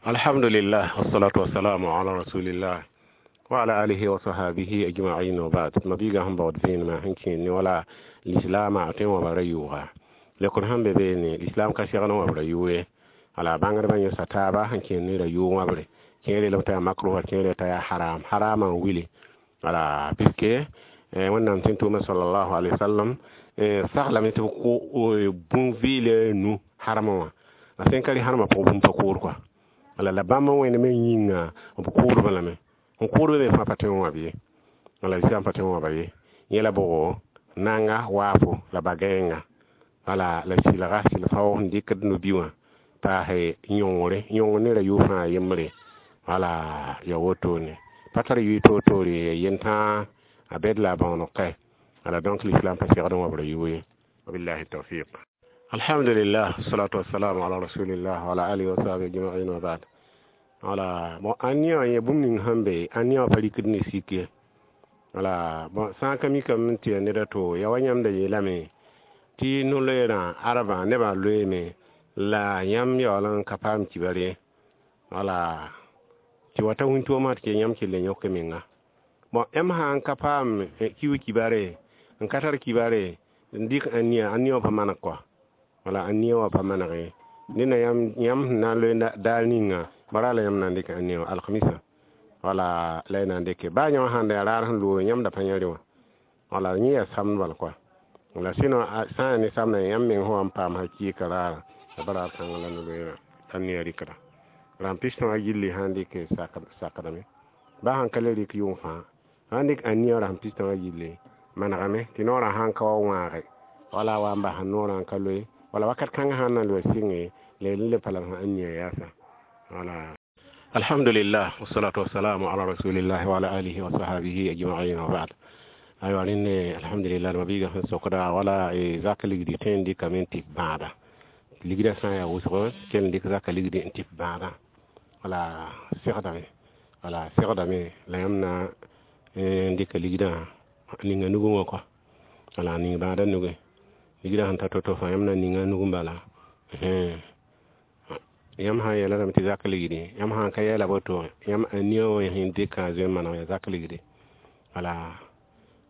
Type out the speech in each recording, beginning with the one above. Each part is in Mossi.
Alhamdulillah, wassalatu wassalamu ala rasulillah wa ala alihi wa sahbihi ajma'in, wa ba'd. Mabiiga sẽn baood vẽenemã sẽn kẽer ne wala lislaamã tõe n wa ra yʋʋga lekr sẽn be beene lislaam ka segd n wa b ra yʋʋ ye. Wala bãngdbã yõsa taaba sẽn kẽer ne ra yʋʋg wãbre kẽer yeelame t'a yaa makruha, kẽer t'a yaa haram, haramã n wili. Wala puisque Wẽnnaam tẽn tʋʋma sallallahu alaihi wasallam saglame tɩ b kʋ bũn-vɩɩlã nu harmã wã a sẽn ka rɩ harmã pʋgẽ bũmb pa koor kɔa. Wala la bãmb n wẽnem n yĩnga b kʋʋdbã lame n kʋʋdbã me fãa pa tõe n wãb ye. Wala islam pa tõe n wãba ye. Yẽla bʋgo nanga waafo la ba-gãenga wala la sɩlga sɩl-fao sẽn dɩkd no-bi wã paase yõngre yõngr ne ra yʋʋ fãa yembre. Wala ya wotone pa tar yʋɩ toor-toore yentãa a bɛd la a bãoneg kae. Wala donc l'islam pa segd n wa b ra yʋʋ ye. Wabillahi tawfiq. Alhamdulillah, salatu wassalamu ala rasulillah wa ala alihi wa sahbihi ajma'in, wa ba'd. Wala bon ãnnia wã yẽ bũmb ning sẽn be ãnnia wã pa rikd ne sik ye. Wala bon sã n ka mikame tɩ ya ned a to ya wa yãmb da yeelame tɩ no-loeerã arbã nebã loeeme la yãmb yaool n ka paam kibar ye. Wala tɩ wa ta wĩntoomã tɩ yãmb kell n yõk menga. Bon yãmb sã n ka paam kiu kibare n ka tar kibare n dɩk ãnnia, ãnnia wã pa maneg kɔa. Wala ãnnia wã pa maneg ned na yãmb sẽn na n loe daar ninga bara la yãmb na n dɩk ãnnia wã alkamisa. Wala la y na n dɩke baa yã wã sãn da yaa raar sẽn loog yãmb da pa yã rẽ wã. Wala yẽ yaa samd bal kɔa. Wala sɩno sã n yaa ne samdã yãmb meng sẽn wa n paam hakɩɩka raara la ba raar kãngã la no-loeerã ãnnia rɩkda rãmb pistõ wã gilli sãn dɩk sakdame baa sãn ka le rɩk yʋng fãa sãn dɩk ãnnia wã rasem pistõ wã gilli manegame tɩ noorã sãn ka wa wãage wala wa n bas noorã n ka loe wala wakat kãngã sãn na n loe sɩnge la y le pa la sẽn ãnnia yaasa. Wala alhamdulillah, wassalatu wassalamu ala rasulillah wa ala alihi wa sahbihi ajma'in, wa ba'd. Aywa rẽnne alhamdulillah mabiiga sẽn sokda wala zak ligdi tõe n dɩkame n tɩ bãada ligdã sã n yaa wʋsgo kell n dɩk zaka ligdi n tɩ bãadã. Wala segdame, wala segdame la yãmb na n dɩka ligdã ninga nugẽ wã kɔa. Wala ning bãadã nugẽ ligdã sẽn ta to-to fãa yãmb na ninga nugẽ bala. Yãmb sã n yeela lame tɩ zak ligdi yãmb sã n ka yɛɛla woto yãmb ania wã sẽn dɩkã a zoe n maneg yaa zak ligdi. Wala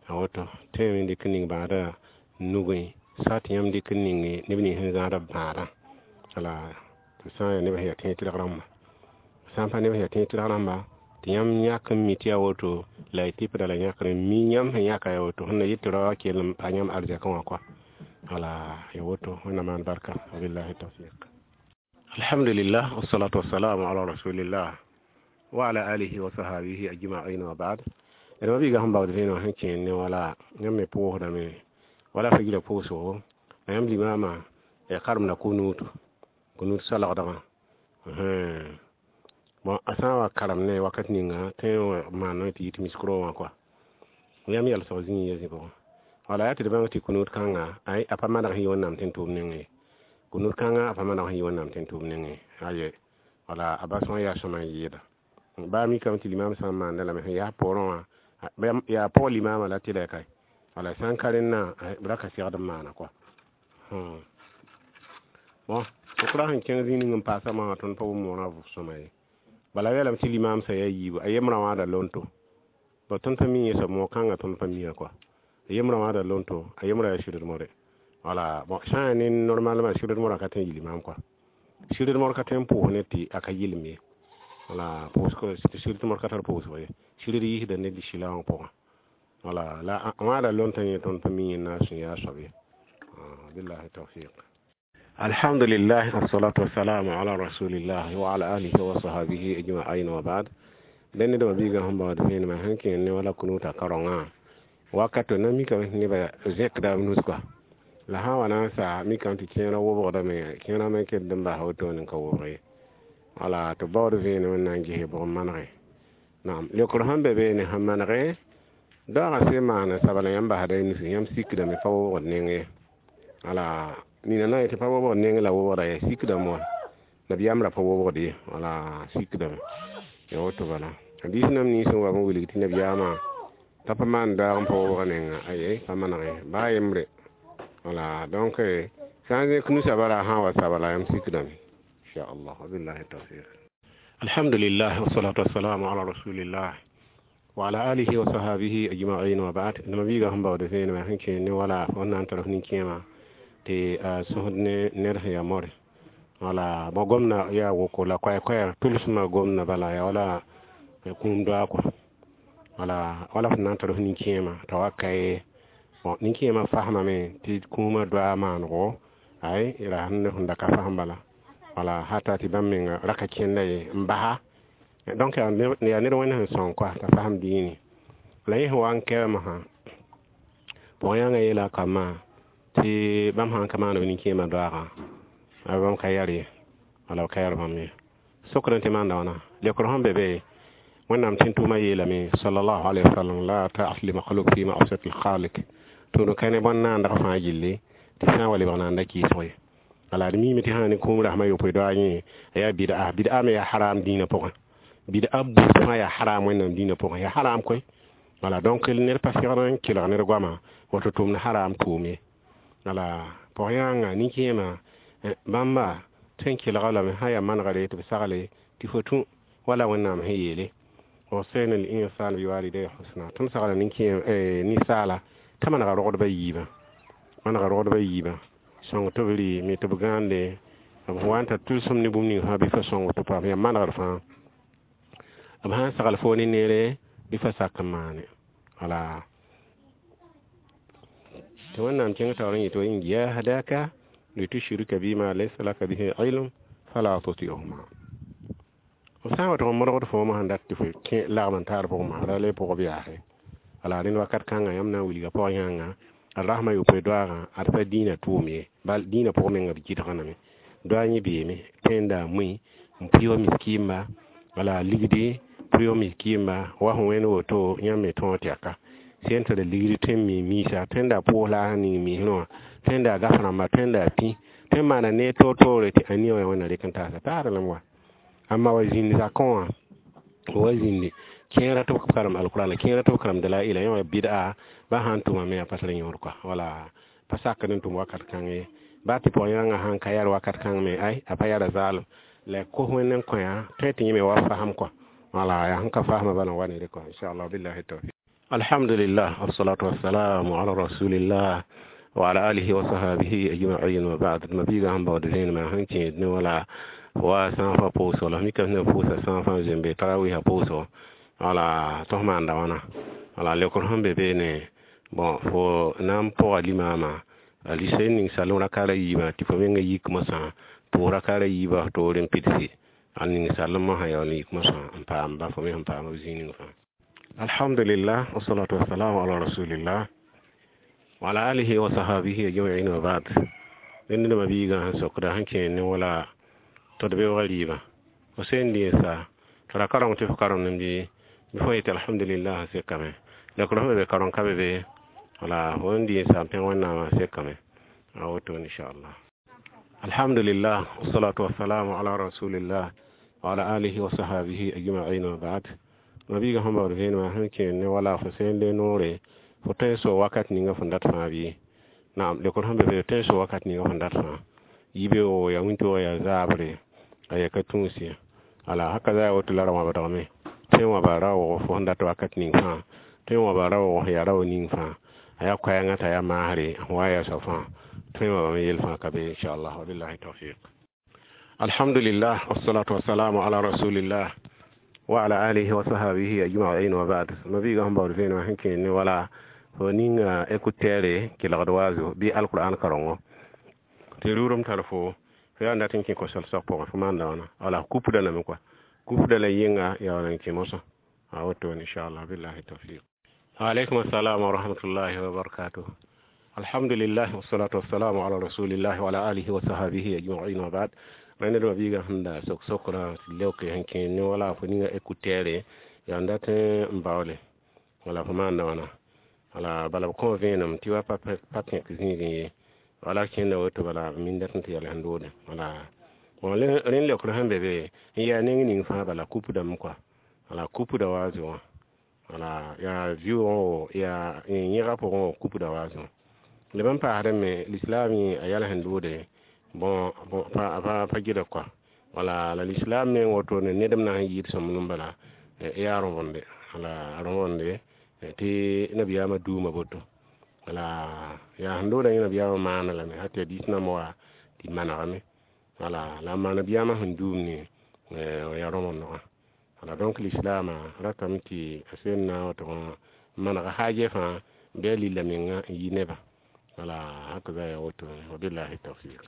a woto tõeme n dɩk ning bãadã nugẽ soit yãmb dɩk n ning neb nins sẽn zãada bãadã. Wala tɩ sã n yaa neb sẽn yaa tẽeg tɩrg rãmba sã n pa neb sẽn yaa tẽeg tɩrg rãmba tɩ yãmb yãk n mi tɩ yaa woto la y tɩpda la yãkr n mi yãmb sẽn yãka yaa woto sẽn na yet tɩ rao wã kell n pa yãmb arzɛkẽ wã kɔa. Wala ya woto Wẽnnaam maan barka. Wabillahi tawfiq. Alhamdulillah, wassalatu wassalamu ala rasulillah wa ala alihi wa sahbihi ajma'in, wa ba'd. D mabiiga sẽn baood vẽeneg sẽn kẽer ne wala yãmb me pʋʋsdame wala fa yila pʋʋsgo la yãmb limaamã ya karemda kunuutu kunuut salgdgã. Bon a sã n wa karem ne wakat ninga tõe n maan tɩ yit miskro wã kɔa yãmb yalsg zĩig ya zĩ pʋgẽ. Wala yaa tɩ d bãng tɩ kunuut kãnga ay a pa maneg sẽn yɩ Wẽnnaam tẽn tʋʋm nengẽ ye. Kunuut kãngã a pa maneg sẽn yɩ Wẽnnaam tẽn tʋʋm nengẽ aye. Wala a bas wã yaa sõma n yɩɩda baa mikame tɩ limaam sã n maanda lame sẽn yaa poorẽ wã yaa pʋg limaamã la tɩ la kae. Wala sã n ka rẽnnã b ra ka segd n maana kɔa. Bon sʋkra sẽn kẽng zĩig ning n paasa maagã tõnd pa wʋm moonã vʋʋg-sõma ye. Bala yeelame tɩ limaam sã yaa yiibu a yembrã wãada lonto bon tõnd pa mi yẽ soab moog kãngã tõnd pa miã kɔa a yembrã wãada lonto a yembrã yaa sɩd more. Wala bon sã n yaa ne normalement sɩd morã ka tõe n yɩ limaam kɔa sɩd mor ka tõe n pʋʋs ne tɩ a ka yɩlem ye. Wala pʋʋsg sɩd mor ka tar pʋʋsg ye sɩd yiisda ne sɩla wã pʋgã. Wala la wãada lontã yẽ tõnd pa mi yẽ na n sẽn yaa soab ye. Billahi tawfiq. Alhamdulillah, wassalatu wassalamu ala rasulillah wa ala alihi wa sahbihi ajma'in, wa ba'd. Dẽnd ned mabiigã sẽn baood vẽenemã sẽn kẽer ne wala kunuutã karongã wakato na mikame tɩ nebã zẽkda b nus kɔa la sã n wa na n sa mikame tɩ kẽerã wobgdame kẽerã me kell n basa wotone n ka wobg ye. Wala tɩ baood vẽenem n na n ges bʋg n manege naam leokr sẽn be beene sẽn manege daoogã sẽn maan sabla yãmb basda y nusi yãmb sikdame pa wobgd neng ye. Wala nina na n yetɩ pa wobgd neng la wobgda ye sikdame wã nabiyaam ra pa wobgd ye. Wala sikdame ya woto bala hadiis nam nins n wa n wilg tɩ nabiyaamã t'a pa maan daag n pa wobg nenga aye pa manege baa yembre. Wala donc sã n zẽk nusã bara sã n wa sabla yãmb sikdame inchallah. Wabillahi tawfiq. Alhamdulillah, wassalatu wassalamu ala rasulillah wa ala alihi wa sahabihi ajma'in, wa ba'd. Nima biiga sẽn baood vẽenemã sẽn kẽ ne wala fo na n tar f nin-kẽemã tɩ a sõsd ne ned sẽn yaa more. Wala bõ gomda yaa woko la koɛɛ-koɛɛg tʋlsmã gomda bala yaa wala kũum doa kɔa. Wala wala f na n tar f nin-kẽemã t'a wa ka ye. Bõn nin-kẽemã fasmame tɩ kũumã doa maanego ay ra sẽn da ka fasem bala. Wala hata tɩ bãmb menga ra ka kẽnda ye n basa. Donc yaa ned wẽnd sẽn sõng kɔa t'a fasem dĩinẽ. La yẽ sẽn wa n kɛɛmsã pʋg-yãngã yeela a kambã tɩ bãmb sã n ka maan b nin-kẽemã doaagã bãmb ka yar ye, wala b ka yar bãmb ye. Sokd tɩ maanda wãna lekr sẽn be be Wẽnnaam tẽn-tʋʋmã yeelame sallallahu alaihi wasallam: la ta'at li makhluk fi ma'siyati al-khaliq. Tʋʋm ka ne bõn-naandg fãa gilli tɩ sã n wa lebg naanda kɩɩsg ye. Wala d miime tɩ sã ne kũum rasmã yopoe doa yẽ a yaa bid'a. Bid'a me yaa haram dĩinã pʋgẽ. Bid'a buud fãa yaa haram Wẽnnaam dĩinã pʋgẽ, yaa haram koe. Wala donc ned pa segd n kelg ned goama woto tʋmd haram tʋʋm ye. Wala pʋg-yãanga nin-kẽemã bãmba tõe n kelga lame sã yaa manegre tɩ b sagle tɩ fo tũ wala Wẽnnaam sẽn yeele: wasayna al-insana biwalidayhi husna. Tõnd sagla ninsaala t'a manega rogdbã yiibã, manega rogdbã yiibã sõng tɩ b rɩ me tɩ b gãande b wa n tar tʋlsem ne bũmb ning fãa bɩ fa sõng tɩ paam yaa manegr fãa. B sã n sagl foo ne neere bɩ fa sak n maane. Wala tɩ Wẽnnaam kẽng taoor n yetɩ: wa in jahadaka litushrika bima laysa laka bihi ilm fala tuti'huma. B sã n wa tʋg n modgd foomã sẽn dat tɩ fo kẽ lagm n taar pʋgẽ ra le pʋgb yaase. Wala rẽnd wakat kãngã yãmb na n wilga pʋg-yãnga d rasmã yopoe doaagã ad pa dĩinã tʋʋm ye, bal dĩinã pʋgẽ menga b gɩdgame doa yẽ beeme tẽnda mui n pʋɩ wa miskiimba. Wala ligdi pʋɩ wa miskiimba wa sẽn wẽnd woto yãmb me tõog tɛka sẽn tara ligdi tõe n mi miisa tõenda pʋʋs la a ning miisrẽ wã tõenda gaf rãmba tõenda pĩ tõe n maana neer toor-toore tɩ a nia wã Wẽnna rɩk n taasa taarlem wa. Amma wa zĩnd zakẽ wã wa zĩndi kẽera tɩ b karem alkurana kẽera tɩ b karem dalaila yẽ wã bid'a ba sãn tʋma me a pa tar yõod kɔa. Wala pa sakd n tʋm wakat kãng ye ba tɩ pʋg-yãngã sãn ka yar wakat kãng me ay a pa yara zaalem la kos Wẽnd n kõ tõe tɩ yẽ me wa fasem kɔa. Wala yaa sẽn ka fasmã bala n wa ne kɔa, inchallah, billahi tawfiq. Alhamdulillah, wassalatu wassalamu ala rasulillah wa ala alihi wa sahabihi ajma'in, wa ba'd. Mabiiga sẽn baood vẽenemã sẽn kẽed ne wala wa sãn fã pʋʋsgo la mika sẽn pʋʋsa sãn fã zoembe tarawisa pʋʋsgo. Wala tõs maanda wãna. Wala lekr sẽn be beene bõn fo na n pʋga limaamã a lisa ning salem rakaara yiibã tɩ fo menga yik mosã pʋʋs rakaara yiibã toore n pidsi a ning salemã sã yaool n yik mosã n paam ba fo me sẽn paam b zĩig ning fãa. Alhamdulillah, wassalatu wassalamu ala rasulillah wa ala alihi wa sahabihi ajma'in, wa ba'd. Ned ned biigã sẽn sokda sẽn kẽ ne wala tɩ d beoogã rɩɩbã fo sẽn dĩnsa tɩ ra kareng tɩ fo karemd bɩ fo yetɩ alhamdulillah sekame lekr sẽn be be kareng ka be be. Wala fo n dĩnsa n pẽg Wẽnnaamã sekame a woto, inchallah. Alhamdulillah, wassalatu wassalamu ala rasulillah wa ala alihi wa sahabihi ajma'in, wa ba'd. Mabiiga sẽn baood vẽenemã sẽn kẽ ne wala fo sẽn le noore fo tõe n so wakat ninga fõn dat fãa bɩ naam lekr sẽn be be tõe n so wakat ninga fõn dat fãa yibeoogo yaa wĩntoog yaa zaabre a yaa ka tũus ye. Wala haka za woto la ra wãbdgame tõe n wãba raoog fo sẽn dat wakat ning fãa tõe n wãba raoog yaa rao ning fãa a yaa koɛɛngã t'a yaa maasre wa yaa soab fãa tõe n wãbame yel fãa ka be, inchallah, wabillahi tawfiq. Alhamdulillah, wassalatu wassalamu ala rasulillah wa ala alihi wa sahabihi ajma'in, wa ba'd. Mabiiga sẽn baood vẽenemã sẽn kẽ ne wala fo ninga écouteur kelgd waazo bɩ alquran karengo tɩ rʋʋrem tar fo fo yaa n dat n kẽ kosal-sag pʋgẽ fo maanda wãna. Wala kupda lame kɔa kupda la yɩnga yaa wala n kẽ mosã a woto, inchallah, billahi tawfiq. Alaikum assalam wa rahmatullahi wa barakatuh. Alhamdulillah, wassalatu wassalamu ala rasulillah wa ala alihi wa sahabihi ajma'in, wa ba'd. Rẽnd d mabiigã sẽn da sok sokra tɩ leoke sẽn kẽ ne wala fo ninga écouteur yaa n dat n baoole wala fo maanda wãna. Wala bala b kõ vẽenem tɩ wa pa pẽk zĩigẽ ye wala kẽnda woto bala b min dat n tɩ yɛl sẽn doode. Wala bon rẽnd leokr sẽn be be n yaa neng ning fãa bala kupdame kɔa. Wala kupda waazo wã wala yaa vɩʋʋgẽ yaa yẽga pʋgẽ wã kupda waazo leb n paasdẽ me lislaam yẽ a yɛl sẽn doode bon pa gɩdg kɔa. Wala la lislaam meng wotone nedem na n yɩɩd sõmblem bala yaa rõvende wala rõvende tɩ nabiyaamã duuma boto wala yaa sẽn loodã yẽ nabiyaamã maana lame hal tɩ hadiis namba wa tɩ manegame wala la n maan nabiyaamã sẽn duum ne yaa rõvendgã wala. Donc lislaamã ratame tɩ a sẽn na n tʋg n maneg haajɛ fãa bɩ a lilla menga n yi nebã wala hakaza ya woto. Wabillahi tawfiq.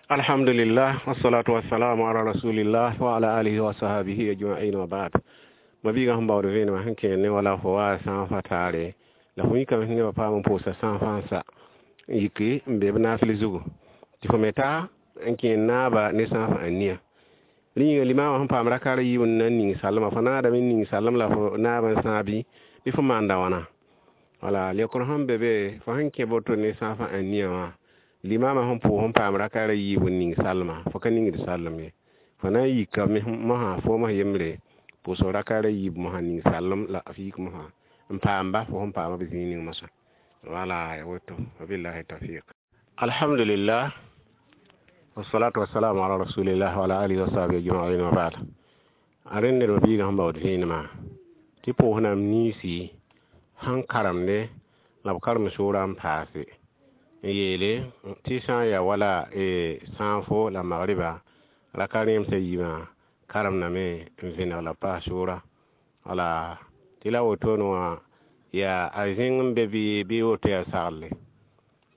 Alhamdulillah, wassalatu wassalamu ala rasulillah wa ala alihi wa sahabihi ajma'in wa ba'd. Mabiigã sẽn baood vẽenemã sẽn kẽer ne wala fo wa sãafã taare la fo yikame sẽn nebã paam n pʋʋsa sãafã n sa n yiki n be b naafɩl zugu tɩ fo me ta n kẽer naaba ne sãafã a nia rẽ yĩnga limaamã sẽn paam rakaar yiib n na n ning salma fo naadame n ning salem la fo naab n sãag bɩ bɩ fo maanda wãna wala lekr sẽn be be fo sẽn kẽ boto ne sãafã a nia wã limaamã sẽn pʋʋs n paam rakaar yiib n ning salma fo ka ningd salem ye fo na n yika mosã foom yembre pʋʋsg rakaar yiib mosã ning salem la f yik mosã n paamba fo sẽn paama b zĩig ning mosã wala ya woto. Wabillahi tawfiq. Alhamdulillah, wassalatu wassalamu ala rasulillah wa ala alihi wa sahbihi ajma'in wa ba'd. A rẽnd ned biigã sẽn baood vẽenemã tɩ pʋʋsnam niisi sẽn karemde la b karem soorã n paase n yeele tɩ sã n yaa wala sãafo la magriba raka rẽemsã yiibã karemdame n vẽneg la paas soora wala tɩ la wotone wã yaa a zẽng n be bɩ woto yaa saglle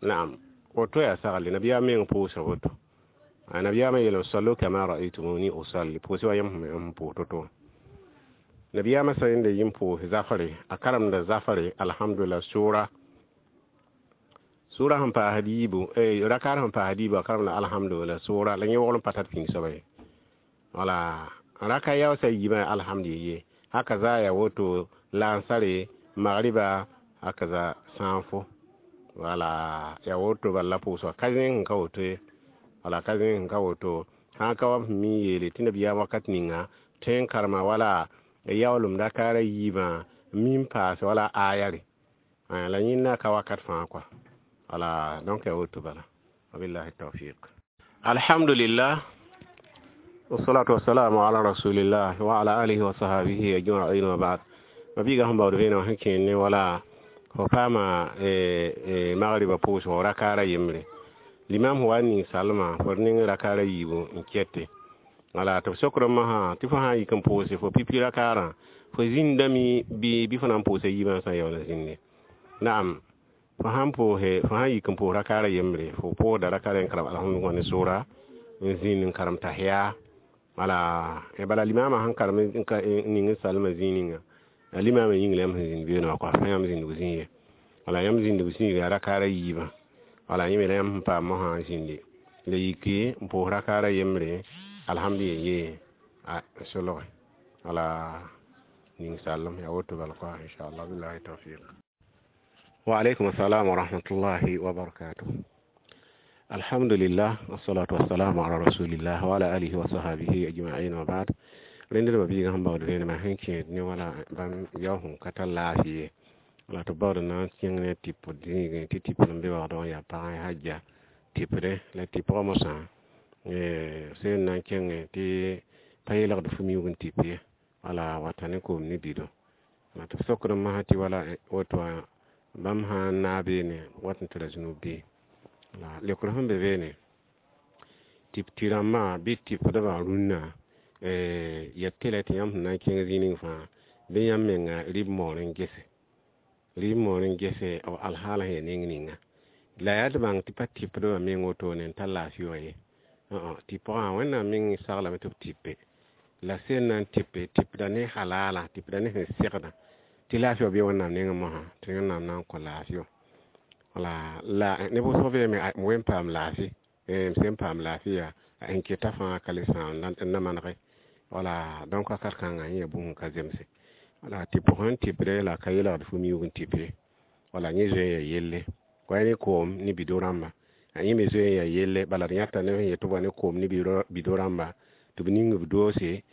naam woto yaa saglle nabiyaam meng pʋʋsa woto nabiyaamã yeelame sallu kama ra'aytumuni usalli pʋʋsɩ wa yãmb sẽn pʋʋs to-to wã nabiyaamã sã yẽnda yĩm pʋʋs zafre a karemda zafre alhamdulillah sʋʋra sʋʋra sẽn paasd yiibu rakaar sẽn paasd yiibu a karemda alhamdulillah sʋʋra la yẽ wogl n pa tar pĩng soaba ye wala raka yaoosã yiibã alhamdu ye haka za ya woto lansare magriba haka za sãafo wala ya woto bala pʋʋsga ka zẽng n ka woto ye wala ka zẽng n ka woto sã ka wa mi yeele tɩ nabiyaam wakat ninga tõe n karema wala yaoolem rakaara yiibã min paase wala ayare la yẽnda ka wakat fãa kɔa wala. Donc ya woto bala. Wabillahi tawfiq. Alhamdulillah, wassalatu wassalamu ala rasulillah wa ala alihi wa sahabihi ajma'in wa ba'd. Mabiigã sẽn baood vẽenemã sẽn kẽer ne wala fo paama magriba pʋʋsgo rakaara yembre limam sẽn wa n ning salma fo d ning rakaara yiibu n kɛte wala tɩ b sokd mosã tɩ fo sã n yik n pʋʋse fo pipi rakaarã fo zĩndame bɩ fo na n pʋʋsa yiibã sã n yaool n zĩnde naam fo sãn pʋʋse fo sãn yik n pʋʋs rakaara yembre fo pʋʋsda rakaara n karem alhamdu ne sʋʋra n zĩnd n karem tahiya wala bala limaamã sẽn karem n ning n salmã zĩig ninga limaamã yĩng la yãmb sẽn zĩnd beoonã wã kɔa fã yãmb zĩndg zĩig ye wala yãmb zĩndg zĩig yaa rakaara yiibã wala yẽ me la yãmb sẽn paam mosã n zĩndi la yiki n pʋʋs rakaara yembre alhamdu ye a solge wala ning salem yaa woto bala kɔa inchallah. Billahi tawfiq. Wa alaikum assalam wa rahmatullahi wa barakatuh. Alhamdulillah, wassalatu wassalamu ala rasulillah wa ala alihi wa sahabihi ajma'in wa ba'd. Rẽnd d biigã sẽn baood vẽenemã sẽn kẽed ne wala bãmb yao sẽn ka tar laafɩ ye wala tɩ baood na n kẽng ne tɩp zĩigẽ tɩ tɩpd n be wagdg n yaa pagã hajja tɩpdẽ la tɩpgã mosã sẽn na n kẽngẽ tɩ pa yeelgd fu miuug n tɩp ye wala wata ne koom ne bido la tɩ b sokd masã tɩ wala woto wã bãmb sã n naag beene wat n tɩ ra zũnub bɩ la lekr sẽn be beene tɩp tɩ rãmbã bɩ tɩpdbã rũnnã ya tɩlɛ tɩ yãmb sẽn na n kẽng zĩig ning fãa bɩ yãmb menga rɩb moor n gese rɩb moor n gese b alhaal sẽn ya neng ninga la yaa d bãng tɩ pa tɩpdbã meng wotone n tar laafɩ wã ye tɩpgã Wẽnnaam meng saglame tɩ b tɩpe la sẽn na n tɩpe tɩpda ne halala tɩpda ne sẽn segda tɩ laafɩ wã bɩ Wẽnnaam nengẽ mosã tɩ Wẽnnaam na n kõ laafɩ wã wala la ne wʋsg beeme m wen paam laafɩ m sẽn paam laafɩ yaa n keta fãa ka le sãam n na manege wala. Donc wakat kãngã yẽ yaa bũmb ka zemse wala tɩ pʋgẽ n tɩpde la ka yeelgd fu miuug n tɩp ye wala yẽ zoe n yaa yelle wa ne koom ne bido rãmba a yẽ me zoe n yaa yelle bala d yãta neb sẽn yet tɩ b wa ne koom ne bido rãmba tɩ b ning b doose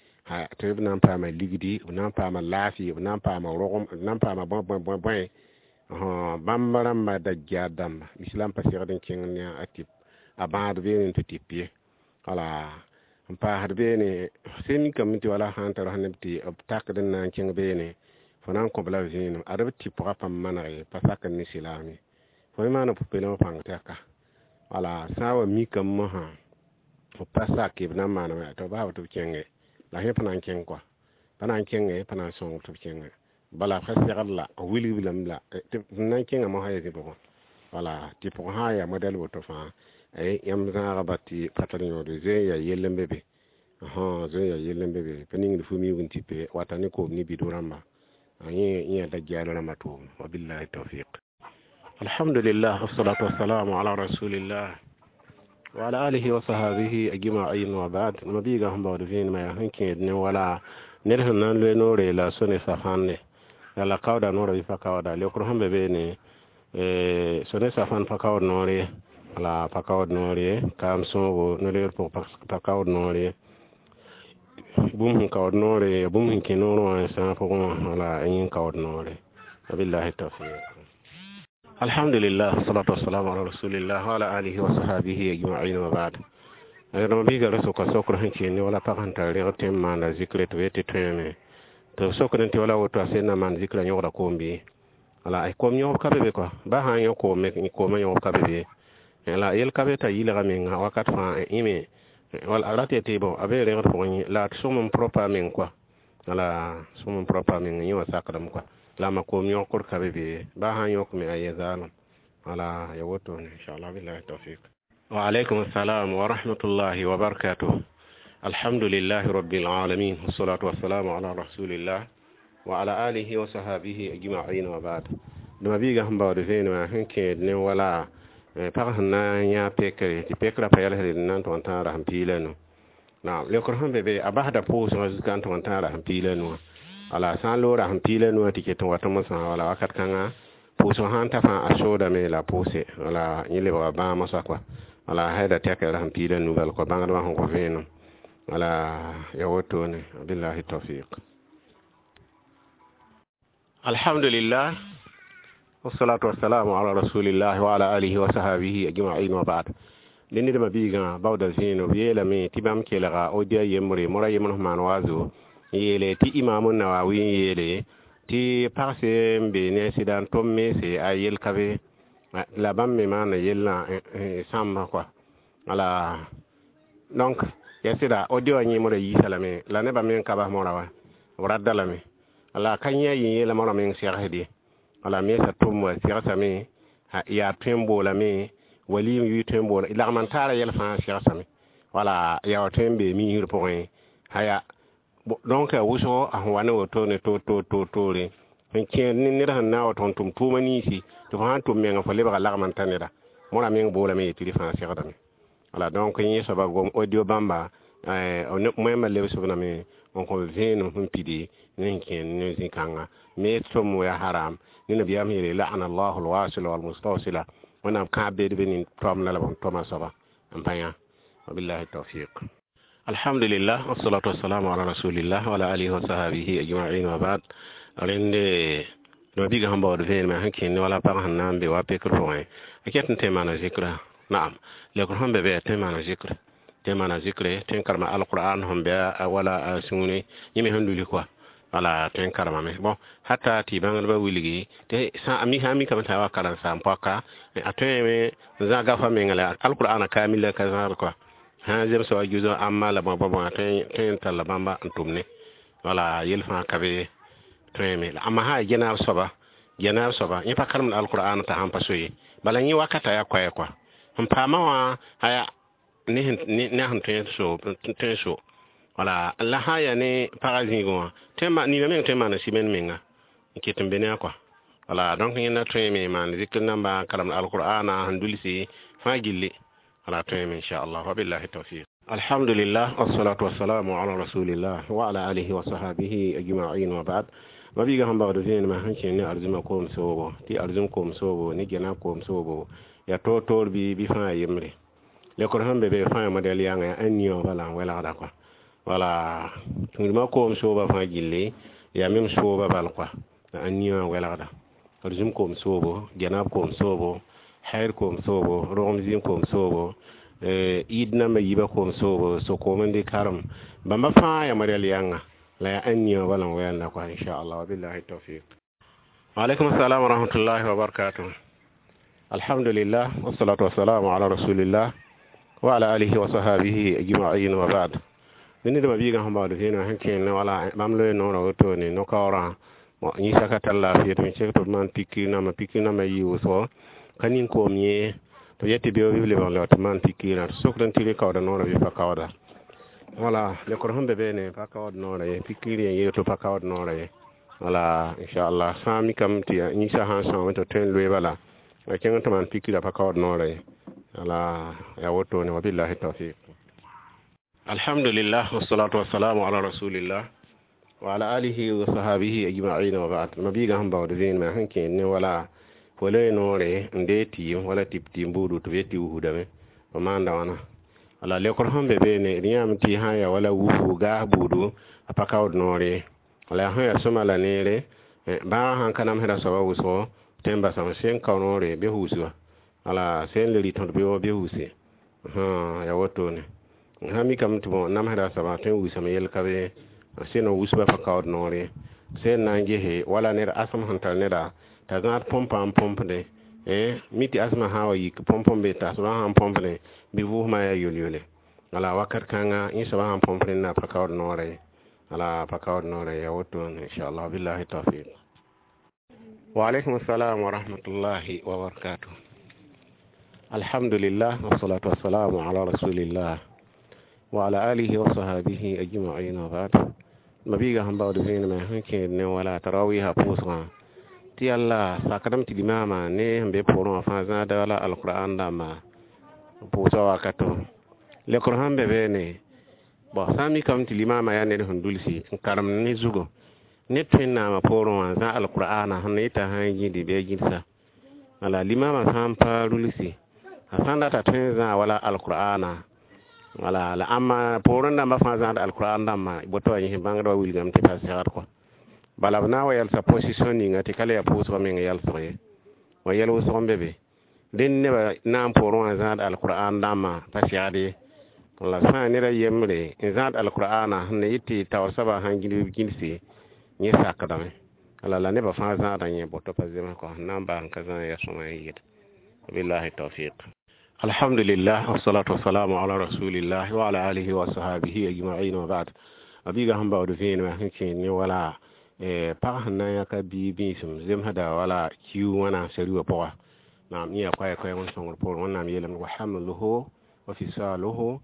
tɩ b na n paama ligdi b na n paama laafɩ b na n paama rogem b na n paama bõe bõe bõe bõe bãmb rãmba dajaar dãmba islam pa segd n kẽng ne a tɩp a bãad beene tɩ tɩp ye wala. N paasd beene sẽn mikame tɩ wala sã n tar neb tɩ b takd n na n kẽng beene fo na n kõ-b la vẽenem ad b tɩ pʋga pãmb maneg pa sakd ne silaam ye fo me maana pʋ-peelmã pãng tɛka wala sã n wa mikame mosã b pa sake b na n maaname tɩ b bas-b tɩ b kẽnge la sẽ pa na n kẽng kɔa pa na n kẽnge pa na n sõng tɩ b kẽnge bala fa segd la b wilg lame la tɩ b na n kẽnga mosã ya zĩ pʋgẽ wala tɩ pʋgẽ sã n yaa modɛl woto fãa yãmb zãagba tɩ pa tar yõode zoe n yaa yell n be be zoe n yaa yell n be be pa ningd fu miug n tipe wata ne koom ne bido rãmba yẽ yã dajjal rãmba tʋʋm wabillahi tawfiq. Alhamdulillah, wassalatu wassalamu ala rasulillah wa ala alihi wa sahabihi ajma'in wa ba'd. Mabiiga sẽn baood vẽenemã yaa sẽn kẽed ne wala ned sẽn na n loe noore la so ne safãnde la kaooda noorã bɩ pa kaooda leokr sẽn be beene so ne safãn pa kaood noor ye la pa kaood noor ye kaam sõogo no-leer pʋg pa kaood noor ye bũmb sẽn kaood noore bũmb sẽn kẽ noorẽ wã sãag pʋgẽ wã wala yẽ kaood noore wabillahi tawfiq. Alhamdulillah, wassalatu wassalamu ala rasulillah wa ala alihi wa sahabihi ajma'in wa ba'd. Rãmb biiga ra sʋka sokr sẽn kẽen ne wala pag sẽn tar reg tɩ n maanda zikre tɩ b yetɩ tõeme tɩ b sokd tɩ wala woto a sẽn na maan zikrã yõgda koom bɩ wala koom yõgb ka be be kɔa ba sã n yõ koome koomã yõgb ka be be la yel ka be t'a yɩlga menga wakat fãa ime wala a rat yetɩ bõ a be regd pʋgẽ la d sõm n propa meng kɔa wala sõm n propa meng yẽ wã sakdame kɔa la ma koom yõkr ka be be ba sã n yõkme a yɛ zaalem wala ya wotone inchallah billahi tawfiq. Wa alaykum assalam wa rahmatullahi wa barakatuh. Alhamdulillahi rabbil alamin, wassalatu wassalamu ala rasulillah wa ala alihi wa sahabihi ajma'in wa ba'd. Dẽma biiga sẽn baood vẽenemã sẽn kẽed ne wala pag sẽn na n yã pekre tɩ pekrã pa yɛlsd n na n tʋg n tãag rasem piig la nu naam leokr sẽn be be a basda pʋʋsgã zuka n tʋg n tãag rasem piig la nu wala sã n loog rasem piig la nuwã tɩ ket n wat mosã wala wakat kãngã pʋʋsg sã n ta fãa a soodame la pʋʋse wala yẽ lebga bãag mosã kɔa wala a tɛka rasem piig la nu bal kɔa bãngdbã sẽn kõ vẽenem wala ya wotone billahi tawfiq. Alhamdulillah, wassalatu wassalamu ala rasulillah wa ala alihi wa sahabihi ajma'in wa ba'd. Dẽ nedbã biigã baooda zẽeno b yeelame tɩ bãmb kelga odia yembre mora yembre sẽn maan waazo n yeele tɩ imaam Nawawi n yeele tɩ pagse n be ne sɩda n tʋm mense a yel ka be la bãmb me maana yellã sãmba kɔa wala donc ya sɩda audio wã yẽ mora yiisa lame la nebã meng ka bas mora wa b radda lame la ka yẽ a yẽ yeela mora meng segsd ye wala mensa tʋm wa segsame yaa tõe n boolame wali n yʋɩ tõe n boola lagm n taara yɛl fãa segsame wala yaa wa tõe n bee miisr pʋgẽ haya donc a wʋsgo a sẽn wa ne wotone toor toor toor toore n kẽed ne ned sẽn na n wa tʋg n tʋm tʋʋma ninsi tɩ fo sã n tʋm menga fo lebga lagm n ta neda mora meng boolame yetɩ rɩ fãa segdame wala donc yẽ soaba gom audio bãmba moẽmbã lebsb lame n kõ vẽenem sẽn pidi ne sẽn kẽed ne zĩ-kãnga me tʋm ya haram ne nabiyaam yeele la'ana allahu alwasila walmustawsila wẽnnaam kãab beed be nin toamda la b tõma soaba n pa yã wabillahi tawfiq. Alhamdulillah, wassalatu wassalamu ala rasulillah wa ala alihi wa sahabihi ajma'in wa ba'd. Rẽnde dõma biiga sẽn baood vẽenemã sẽn kẽnd wala pag sẽn na n be wa pekr pʋgẽ a ket n tõe n maana zikra naam leokr sẽn be be tõe n maana zikr tõe n maana zikre tõe n karema alqur'an sẽn be wala a sũure yẽ me sẽn luli kɔa wala tõe n karemame bon hata tɩ bãngdbã wilgi tɩ sã a mikame t'a wa karen-saam poaka a tõeme n zãg gafa menga la alqur'ana kamil la ka zãgd kɔa sã n zemsa wa juzo amma la bõe tõe n talla bãmba n tʋm ne wala yel fãa ka be tõeme la amma sã ya genaab soaba yẽ pa karemd alqur'an t'a sãn pa so ye bala yẽ wakata yaa koɛɛ kɔa sẽn paamã wã aya ne sẽn tõe n so wala la sã n yaa ne pagã zĩigẽ wã nina meng tõe n maana simen menga n ket n be ne a kɔa wala donc yẽnda tõeme maan zikr namba n karemd alqur'ana sẽn dulsi fãa gilli wala tõeme inchallah wabillahi tawfiq. Alhamdulillah, wassalatu wassalamu ala rasulillah wa ala alihi wa sahabihi ajma'in wa ba'd. Mabiiga sẽn bagd vẽenemã sẽn kẽen ne arzũmã koom soobo tɩ arzũm koom soobo ne gɛnab koom soobo yaa toor-toor bɩ fãa yembre lekr sẽn be be fãa modɛl yãnga yaa ãn niõ bala n welgda kɔa wala tũudmã koom sooba fãa gilli yaa mem sooba bal kɔa la ãn niõ n welgda arzũm koom soobo gɛnab koom soobo hair koom soobo rogem zĩig koom soobo Eid namba yiibã koom soobo so-koom n dɩ karem bãmba fãa yaa modɛl yãnga la yaa ãn yã wala n wɛɛnda kɔa inchallah wabillahi tawfiq. Waalaikum assalam wa rahmatullahi wa barakatuh. Alhamdulillah wassalatu wassalamu ala rasulillah wa ala alihi wa sahabihi ajma'in wa ba'd. Ned mabiigã sẽn baood vẽenegã sẽn kẽen wala bãmb loe noorã wotone no-kaoorã yĩsa ka tar laafɩ tɩ b sek tɩ b maan pikir namba pikir namba yɩ wʋsgo ka nin-koom yẽ tɩ b yet tɩ beoog bɩ b lebg n leb tɩ maan pikirã tɩ sokd n tɩ rɩ kaooda noorã bɩ pa kaooda wala lekr sẽn be beene pa kaood noorã ye pikir yẽ yeel tɩ pa kaood noorã ye wala inchallah sã n mikame tɩ yĩsã sã n sõame tɩ tõe n loe bala a kẽng tɩ maan pikirã pa kaood noorã ye wala yaa wotone wabillahi tawfiq. Alhamdulillah wassalatu wassalamu ala rasulillah wa ala alihi wa sahabihi ajma'in wa ba'd. Mabiigã sẽn baood vẽenemã sẽn kẽed ne wala fo loe noore n dee tɩɩm wala tɩ tɩɩm buudu tɩ b yet tɩ wusdame f maanda wãna wala lekr sẽn be beene d yãame tɩ sã n yaa wala wusgu gaas buudu a pa kaood noor ye wala yaa sẽn yaa sõma la neere bãagã sãn ka namsda soaba wʋsgo tõe n basame sẽn kao noore bɩ wusga wala sẽn le rɩt beoog bɩ wuse yaa wotone sã mikame tɩ bõ namsda soaba tõe n wusame yel ka be sẽn wusba pa kaood noor ye sẽn na n gese wala ned asem sẽn tar neda t'a zãad põmpa n põmpde mi tɩ asmã sã n wa yik põmp n be t'a soaba sãn põmpde bɩ vʋʋsmã yaa yol-yole wala wakat kãnga yẽ soaba sãn põmp rẽnda pa kaood noorã ye wala pa kaood noorã ye yaa wotone inchallah billahi tawfiq. Wa alaikum assalam wa rahmatullahi wa barakatuh. Alhamdulillah wassalatu wassalamu ala rasulillah wa ala alihi wa sahabihi ajma'in wa ba'd. Mabiigã sẽn baood vẽenemã sẽn kẽed ne wala tarawiha pʋʋsgã tɩ yalla sakdame tɩ limaamã ne sẽn be poorẽ wã fãa zãada wala alqur'an dãmba pʋʋsga wakato lekr sẽn be beene bõ sã n mikame tɩ limaamã yaa ned sẽn dulsi n karemd ne zugo ned tõe n naamã poorẽ wã zã alqur'ana sẽn yeta sã n gĩdi bɩ a gĩdsa wala limaamã sã n pa rulsi a sã n data tõe n zã wala alqur'ana wala la ãmba poorẽ dãmbã fãa zãad alqur'an dãmbã boto wa yẽs bãngdbã wilgame tɩ pa segd kɔ bala b na n wa yalsa position ninga tɩ ka le yaa pʋʋsgã meng yalsg ye wa yɛl wʋsg n be be dẽnd nebã na n poorẽ wã zãad alqur'an dãmbã pa segd ye la sã n ned a yembre n zãad alqur'ana sẽn na yɩ tɩ taoor soabã sãn gĩd b gĩdse yẽ sakdame la la nebã fãa zãada yẽ boto pa zems kɔ sẽn na n baa n ka zã ya sõma n yɩɩd wabillahi tawfiq. Alhamdulillah wassalatu wassalamu ala rasulillah wa ala alihi wa sahabihi ajma'in wa ba'd. A biigã sẽn baood vẽenemã sẽn kẽed ne wala pag sẽn na n yãka bii bĩisem zemsda wala kiu wãna sari wã pʋga naam yẽ yaa koɛɛ-koɛɛg n sõngr poorẽ wẽnnaam yeelame wa hamluhu wa fisaluhu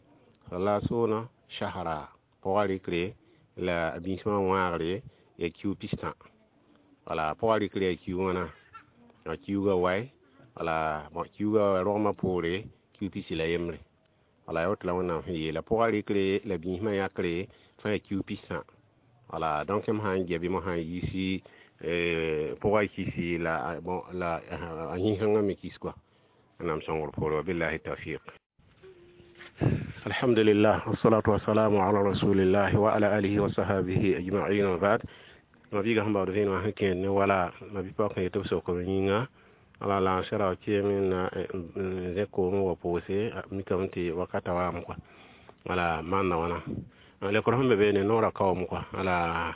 salasuna shahra pʋga rɩkre la bĩismã wãagre yaa kiu pistã wala pʋga rɩkre yaa kiu wãna a kiuga wae wala bõ kiuga rogmã poore kiu pisi la yembre wala yaa woto la wẽnnaam sẽn yeela pʋga rɩkre la bĩismã yãkre fãa yaa kiu pistã wala donc m sã n gɛ bɩ mosã n yiisi pʋga kisi la bon la a yĩnsãngã me kis kɔa wẽnnaam sõngr poore wabillahi tawfiq. Alhamdulillah wassalatu wassalamu ala rasulillah wa ala alihi wa sahabihi ajma'in wa ba'd. Mabiigã sẽn baood vẽenemã sẽn kẽed ne wala mabi-paook sẽn yet b sokm yĩnga wala la n sɛra keem na n zẽ koom wa pʋʋse mikame tɩ wakata waame kɔa wala maanda wãna lekr sẽn be beene noorã kaoom kɔa wala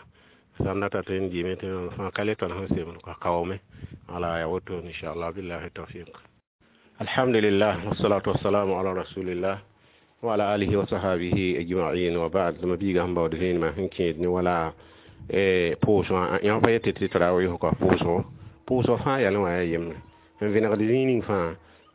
sãn data tɩ n dɩɩme tɩ fãa ka le tõnd sẽn semd kɔa kaoome wala yaa wotone inchallah billahi tawfiq. Alhamdulillah wassalatu wassalamu ala rasulillah wa ala alihi wa sahabihi ajma'in wa ba'd. Mabiigã sẽn baood vẽenemã sẽn kẽed ne wala pʋʋsgã yã pa yetɩ tɩ tarawih kɔa pʋʋsgo pʋʋsg fãa yalẽ wã yaa yembre n vẽnegd zĩig ning fãa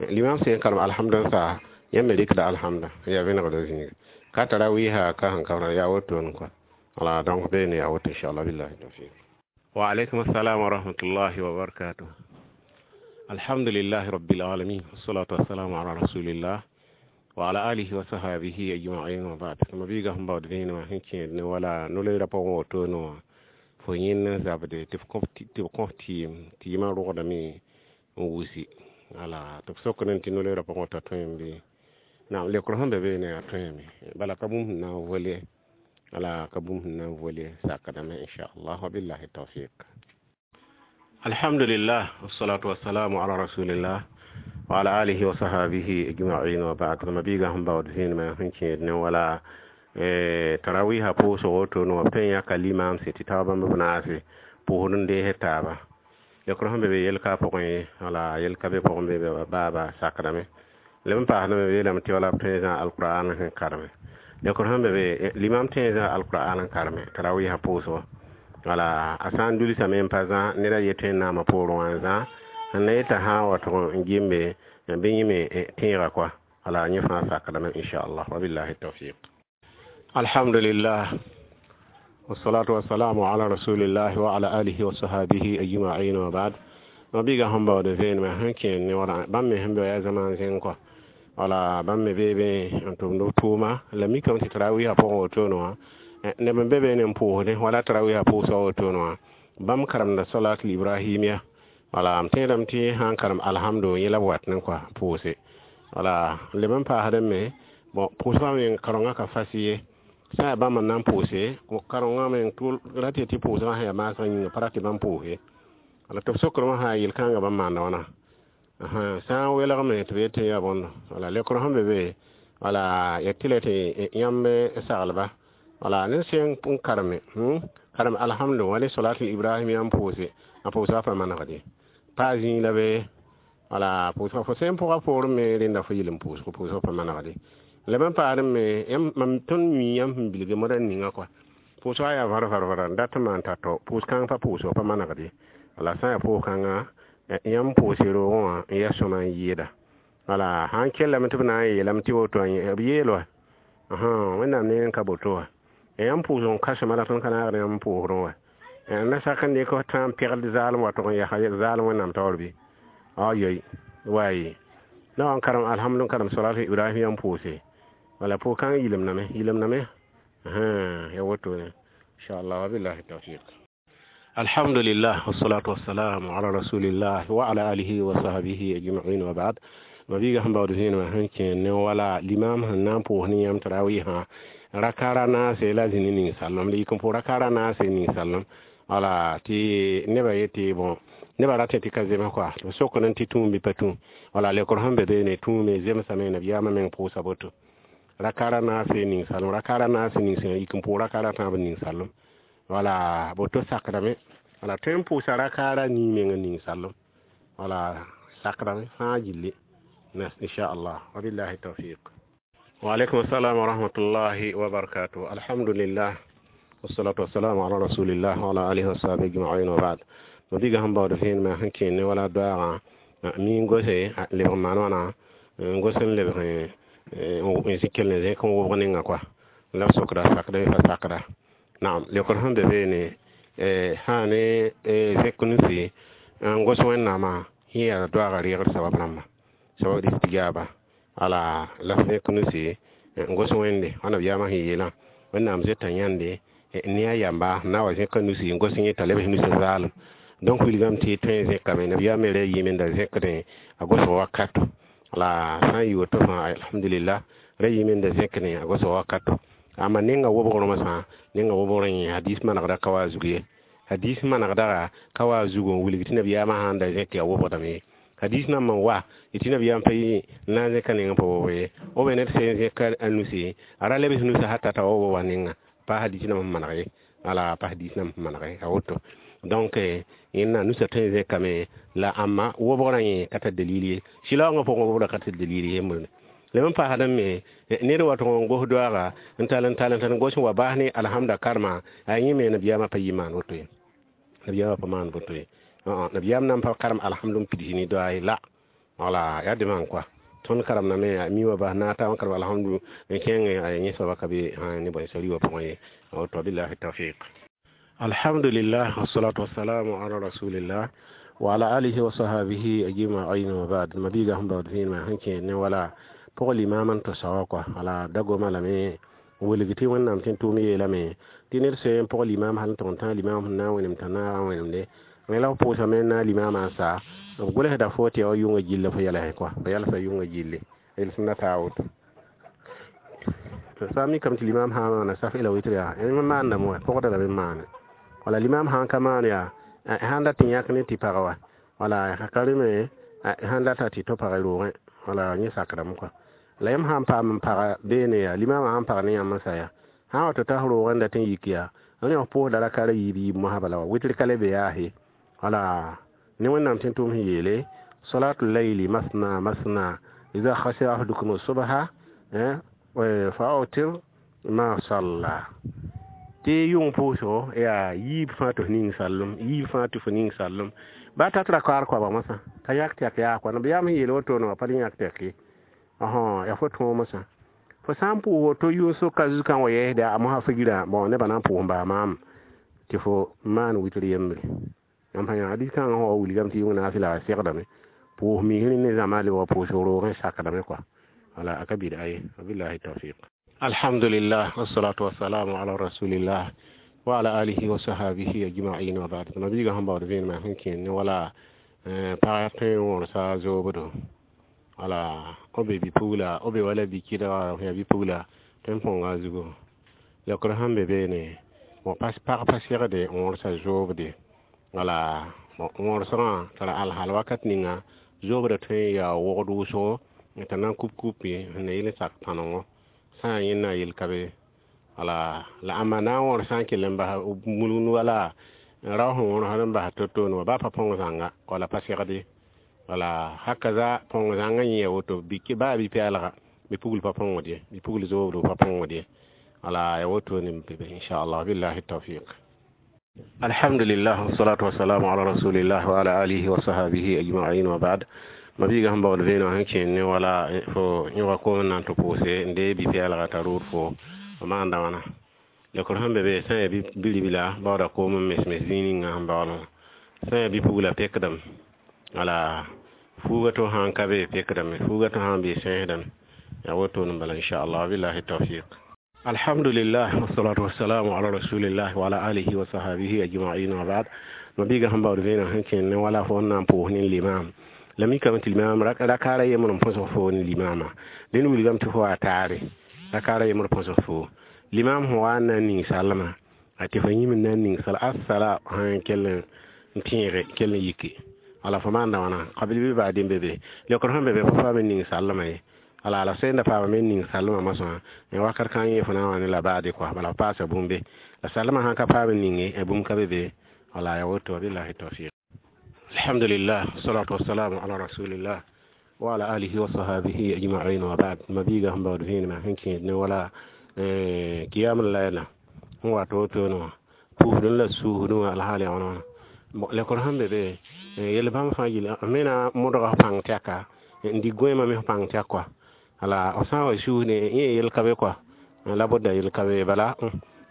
limam sẽn karem alhamd n saa yãmb me rɩkda alhamda yaa vẽnegda zĩiga ka tarawiha ka sẽn ka yaa wotone kɔa wala donc beene yaa woto inchallah billahi tawfiq. Wa alaikum assalam wa rahmatullahi wa barakatuh. Alhamdulillahi rabbil alamin wassalatu wassalamu ala rasulillah wa ala alihi wa sahabihi ajma'in wa ba'd. Mabiigã sẽn baood vẽenemã sẽn kẽed ne wala no-loeerã pʋgẽ wotone wã fo yẽnd n zabde tɩ b kõs tɩɩm tɩɩmã rogdame n wusi wala tɩ b sokd tɩ no-loeerã pʋgẽ t'a tõeme bɩ naam lekr sẽn be beene yaa tõeme bala ka bũmb sẽn na n vole wala ka bũmb sẽn na n vole sakdame inchallah wabillahi tawfiq. Alhamdulillah wassalatu wassalamu ala rasulillah وعلى آله وصحبه أجمعين وبعد. مبيغا هم بعد فين ما هنشي ولا تراويها بوسو وتون وبتين يا كلمة ستتابا مبناسي بوهن ده تابا يكرهم بي يلقى بقني ولا يلقى بقن بي بابا ساكرمي لم فاهنا بي لم تي ولا بتين القرآن كرمي يكرهم بي الإمام تين القرآن كرمي تراويها بوسو wala a sã n dulsame n pa zã ned a yetẽ n naamã poorẽ wã n zã n na yeta sã n wa tʋg n gimbe bɩ yẽ me tẽega kɔa wala yẽ fãa sakdame inchallah wabillahi tawfiq. Alhamdulillah والصلاة والسلام على رسول الله وعلى آله وصحبه أجمعين وبعد. mabiga sẽn baood vẽenemã sẽn kẽer ne wala bãmb me sẽn be yaa zamaan zẽng kɔa wala bãmb me bee be n tʋmd b tʋʋma la mikame tɩ tarawiisã pʋgẽ wotone wã neb n be beene n pʋʋsdẽ wala tarawiisã pʋʋsga wotone wã bãmb karemda salatul ibrahimia wala m tẽedame tɩ sã n karem alhamdu yẽ la b wat ne kɔa pʋʋse wala leb n paasdẽ me bon pʋʋsgã me karengã ka fas ye sã yaa bãmb n na n pʋʋse karengã me ra tɩ tɩ pʋʋsgã sẽn yaa maasgã yĩnga pa ra tɩ bãmb pʋʋse wala tɩ b sokrmã sã yel-kãngã bãmb maanda wãna sã n welgme tɩ b yetɩ yaa bõndo wala lekr sẽn be be wala ya tɩ la tɩ yãmb saglba wala ned sẽn n kareme karem alhamdu wa ne salatul ibrahim yãmb pʋʋse a pʋʋsga pa manegde pa zĩig la be wala pʋʋsga fo sẽn pʋga poorẽ me rẽnda fo yel n pʋʋsg pʋʋsga pa manegde la b n paasd me mam tõnd mi yãmb sẽn bilge modã ninga kɔa pʋʋsga yaa var-var-vara n dat n maan tao pʋʋs-kãng pa pʋʋsg pa manegde wala sã n yaa pʋʋs-kãngã yãmb pʋʋse roogẽ wã n yaa sõma n yɩɩda wala sã n kellame tɩ b na n yeelame tɩ woto b yeel wa wẽnnaam ne n ka boto wa yãmb pʋʋsg n kãsema la tõnd ka naagd yãmb pʋʋsdẽ wa na sak n dɩk tã n pegd zaalem wa tʋg n yaa zaalem wẽnnaam taoor bɩ ayoy waye la wa n karem alhamdu n karem salat ibrahim yãmb pʋʋse wala pʋʋs-kãng yilemdame yilemdame ya wotone inchallah wabillahi tawfiq. Alhamdulillah wassalatu wassalamu ala rasulillah wa ala alihi wa sahbihi ajma'in wa ba'd. Mabiga sẽn baood vẽenemã sẽn kẽer ne wala limam sẽn na n pʋʋs ne yãmb tarawiisã rakara naase la zĩni ning-sallem la yik n pʋʋs rakara naase ning-sallem wala tɩ nebã yetɩ bon nebã ratẽ tɩ ka zems kɔa tɩ b sokd n tɩ tũum bɩ pa tũum wala lekr sẽn be beene tũume zemsame nabiyaamã meng pʋʋsa boto rakara naase ning-sallem rakara naase ning-sẽn yik n pʋʋs rakara tãab ning-sallem wala boto sakdame wala tõe n pʋʋsa rakara nii meng ning-sallem wala sakdame fãa gilli inchallah wabillahi tawfiq. وعليكم السلام ورحمة الله وبركاته. الحمد لله والصلاة والسلام على رسول الله وعلى آله وصحبه أجمعين وبعد. مبيغا هم بعد فين ما هنكين ولا دعاء مين غوسي لبغ مانوانا غوسن لبغ نزكل نزكم وبغنين أكوا لا سكرا سكرا فسكرا نعم لكن هم بيني هاني زكنسي غوسوين نما هي دعاء غير سبب نما سبب الاستجابة ala la f nusi n gos wẽnde wãna b yaamã sẽn yeelã wẽnnaam zoeta yãnde ne a yamba na wa zẽka nusi n gos yẽ t'a lebs nusa zaalem donc wilgame tɩ tõe n zẽkame nabiyaam me ra yiime n da zẽkdẽ a gosg wakato la sã n yɩ woto fãa alhamdulillah ra yiime n da zẽkdẽ a gosg wakato amma nenga wobgrã sã nenga wobgrã yẽ hadis manegda ka wa zug ye hadis manegda ka wa zug n wilg tɩ nabiyaamã sã n da zẽk yaa wobgdame ye hadis nan man wa tɩ nabiyaam pa yi na n zẽka neng pa wob ye o be ned sẽn zẽka a nusi a ra lebs nusa hata t'a wa woba nenga pa hadis nam maneg ye wala pa hadis nam maneg a woto donc yẽnna nusa tõe n zẽkame la ãmba wobgrã yẽ ka tar dalil ye sɩlaoongã pʋgẽ wobgrã ka tar dalil ye yembr leb n paasdẽ me ned wa tʋg n gos doaaga n tall n tall n tall n gos n wa baas ne alhamda karema a yẽ me nabiyaamã pa yɩ maan woto ye nabiyaamã pa maan woto ye nabiyaam nan pa karem alhamdu n pids ne doa ye la wala yaa dẽmã kɔa tõnd karemdame mi wa bas naata n karem alhamdu n kẽng a yẽ soaba ka be ne bõe sari wã pʋgẽ ye woto billahi tawfiq. Alhamdulillah wassalatu wassalamu ala rasulillah wa ala alihi wa sahbihi ajma'in wa ba'd. Mabiga sẽn baood vẽenemã sẽn kẽer ne wala pʋg limaam n tʋsa wã kɔa wala dagoma lame n wilg tɩ wẽnnaam tɩ n tʋʋm yeelame tɩ ned sẽn pʋg limaam hal n tʋg n tã limaam sẽn na n wẽnem t'a naag n wẽnemde la f pʋʋsame n na limaamã n sa b gʋlsda fo tɩ yaa wa yʋngã gilla fo yɛlsẽ kɔa fo yɛlsa yʋngã gilli yels na taa woto sã n mikame tɩ limaam sã n maana saf ila witr yaa maandame wa pʋgda lame n maane wala limam sã n ka maan yaa sãn dat tɩ yãk ne tɩ pag wa wala ka reme Sãn data tɩ tɩ pagã roogẽ, wala yẽ sakdame kɔa. La yãmb sã n paam n paga beene yaa, limaamã sãn pag ne yãmb n sa yaa, sã n wa tɩ ta f roogẽ dat n yik yaa, rẽ f pʋʋsda raka ra yiib yiib mosã bala wa witr ka le be yaase. Wala ne Wẽnnaam tẽn tʋʋm sẽn yeele: salatu layli masna masna iza khashiya ahadukum subha fa autir ma salla. Tɩ yʋng pʋʋsgo yaa yiib fãa tɩ f ning sallem, yiib fãa tɩ fo ning sallem. Ba tat ra kaar koabg mosã t'a yãk tɛk yaa kɔa. Nabiyaam sẽn yeel wotone wã pa le yãk tɛk ye. Yaa fo tõog mosã. Fo sã n pʋʋs woto yʋʋn-sʋka zu-kã wa yɛɛsda a mosã figirã, bõn nebã na n pʋʋs n baa maam tɩ fo maan witr yembre. Yãmb sã yã hadis kãngã sẽn wa wilgame tɩ yʋng naafɩla a segdame. Pʋʋs misrẽ ne zãma lebg pʋʋsg roogẽ sakdame kɔa. Wala a ka bɩd-a ye. Wabillahi tawfiq. Alhamdulillah, wassalatu wassalamu ala rasulillah wa ala alihi wa sahabihi ajma'in wa ba'd. Mabiiga sẽn baood vẽenemã sẽn kẽer ne wala pag tõe n wõrsa zoobdo. Wala b be bi-pugla, b be wala bi-kɩdga, yaa bi-pugla tõe n põnga a zugu. Leokr sẽn be beene, pag pa segde n wõrsa zoobde. Wala wõrsgã tara alhal wakat ninga zoobda tõe n yaa wogd wʋsgo t'a na n kup kupi sẽn na yɩl n sak tãnengo sã n yẽnna yel ka be. Wala la ãmba na n wõrs sã n kell n bas mulgend wala rao sẽn wõrsd n bas to-toone wã baa pa põng zãnga, wala pa segd ye. Wala hakaza põng zãngã yẽ ya woto, baa bi-pɛɛlga bi-pugl pa põngd ye, bi-pugl zoobdo pa põngd ye. Wala ya wotone n be inchallah. Billahi tawfiq. Alhamdulillah, wassalatu wassalamu ala rasulillah wa ala alihi wa sahabihi ajma'in wa ba'd. Mabiiga sẽn baood vẽeneg sẽn kẽer ne wala fo yõga koom n na n tɩ pʋʋse n dee bi-pɛɛlga t'a rood fo maanda wãna. Leokr sẽn be be, sã n yaa bi-ribla baooda koom n mes-mes zĩig ninga sẽn baood wã. Sã n yaa bi-pugla pekdame. Wala fuuga to sãn ka be pekdame, fuuga to sãn be sẽesdame. Yaa wotone n bala inchallah. Billahi tawfiq. Alhamdulillah, wassalatu wassalamu ala rasulillah wa ala alihi wa sahabihi ajma'in wa ba'd. Mabiiga sẽn baood vẽeneg sẽn kẽer ne wala fo n na n pʋʋs ne limaam. La mikame tɩ limaam rakaara yembr n põsg foo ne limaamã. Dẽnd wilgame tɩ fo wa taare rakaara yembr põsg foo. Limaam sẽn wa n na n ning sallmã, a tɩ fo yĩm n na n ning sal assala sãn kell n tẽege kell n yiki. Wala fo maanda wãna qabil bɩ baadɩ n be be. Leokr sẽn be be fo paam n ning sallmã ye. Wala la sẽn da paama me n ning sallmã mosã wakat kãng yẽ fo na n wa ne la baade kɔa, bala fo paasa bũmbe. La sallmã sãn ka paam n ninge bũmb ka be be. Wala ya woto. Billahi tawfiq. Alhamdulillah, salatu wassalamu ala rasulillah wa ala alihi wa sahabihi ajma'in wa ba'd. Mabiiga sẽn baood vẽenemã sẽn kẽed ne wala kiyam layla sẽn wa tɩ wotone wã pʋʋsdẽ la suusdẽ wã alhaal yaa wãna wãna. Lekr sẽn be be yel bãmb fãa gill me na modga f pãng tɛka n dig goẽemã me f pãng tɛk kɔa. Wala f sã n wa suusdẽ yẽ yel ka be kɔa, la bʋda yel ka be bala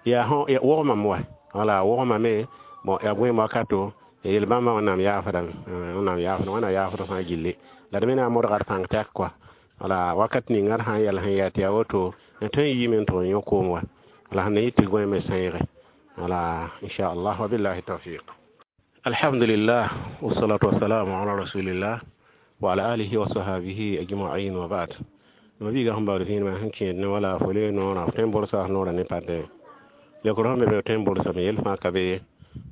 yaa wogmame wa. Wala wogmame bon yaa goẽem wakato yel bãmba Wẽnnaam yaafdame, Wẽnnaam yaafdame, Wẽnnaam yaafd fãa gilli. La d me na n modga d pãng tɛk kɔa. Wala wakat ninga d sãn yɛl sẽn yaa tɩ yaa woto n tõe n yiime n tʋg n yõ koom wa. Wala sẽn na yɩ tɩ goẽemã sẽege. Wala inchallah. Wa billahi tawfiq. Alhamdulillah, wassalatu wassalamu ala rasulillah wa ala alihi wa sahabihi ajma'in wa ba'd. Mabiiga sẽn baood vẽenemã sẽn kẽed ne wala fo le noorã, fo tõe n bʋrsa f noorã ne pade. Leokr sẽn be be tõe n bʋrsame yel fãa ka be ye.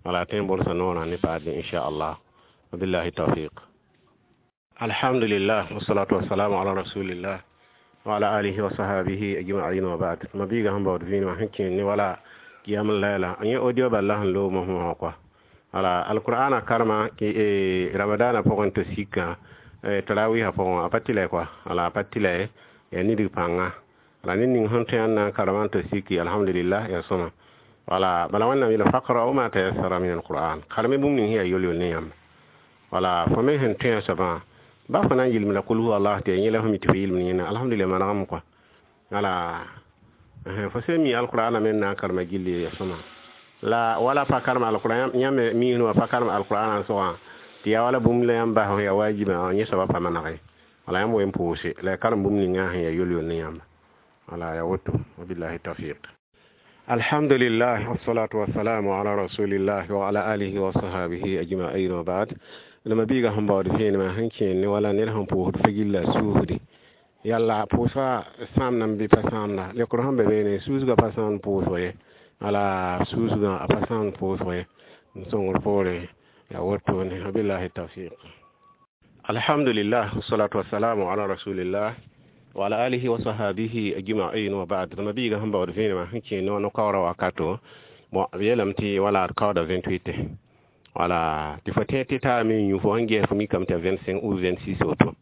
Wala tõe n bʋrsa noorã ne pade inchallah. Wa billahi tawfiq. Alhamdulillah, wassalatu wassalamu ala rasulillah wa ala alihi wa sahabihi ajma'in wa ba'd. Mabiiga sẽn baood vẽenemã sẽn kẽer ne wala kiyam layla yẽ audio bala sẽn loog mosã wã kɔa. Wala alqur'ana karma ramadana pʋgẽ tɩ sikã tarawiisã pʋgẽ a pa tɩ la kɔa. Wala a pa tɩ la yaa nidg pãnga. Wala ned ning sẽn tõe n na n karema n tɩ siki, alhamdulillah, yaa sõma. Wala bala Wẽnnaam yeela faqra'u ma tayassara min alquran, karme bũmb ning sẽn yaa yol-yol ne yãmb. Wala fo me sẽn tõe a soabã ba fo na n yɩlem la kul huwa allah tɩ yaa yẽ la fo mi tɩ fo yɩlem yẽna, alhamdulillah, manegame kɔa. Wala fo sẽn mi alqur'ana me n na n karema gilli ya sõma. La wala pa karem alqur'an yãmb miisẽ wã pa karem alqur'ana n sogã tɩ yaa wala bũmb la yãmb bas sẽn yaa wajiba yẽ soabã pa manege. Wala yãmb wen pʋʋse la ya karem bũmb ninga sẽn yaa yol-yol ne yãmb. Wala ya woto. Wabillahi tawfiq. Alhamdulillah, wassalatu wassalamu ala rasulillah wa ala alihi wa sahabihi ajma'in wa ba'd. La mabiiga sẽn baood vẽenemã sẽn kẽer ne wala ned sẽn pʋʋsd fa gilla suusde. Yalla pʋʋsga sãamdame bɩ pa sãamda. Leokr sẽn be beene suusgã pa sãamd pʋʋsg ye. Wala suusgã a pa sãamd pʋʋsg ye. N sõngr poore yaa wotone. Wabillahi tawfiq. Alhamdulillah, wassalatu wassalamu ala rasulillah wa ala alihi wa sahabihi ajma'in wa ba'd. Mabiiga sẽn baood vẽenemã sẽn kẽ no no-kaoorã wakato, bon, b yeelame tɩ wala d kaooda 28, wala tɩ fo tẽ tɩ taame n yũ, fo sẽn ges fo mikame tɩ 25 ou 26 woto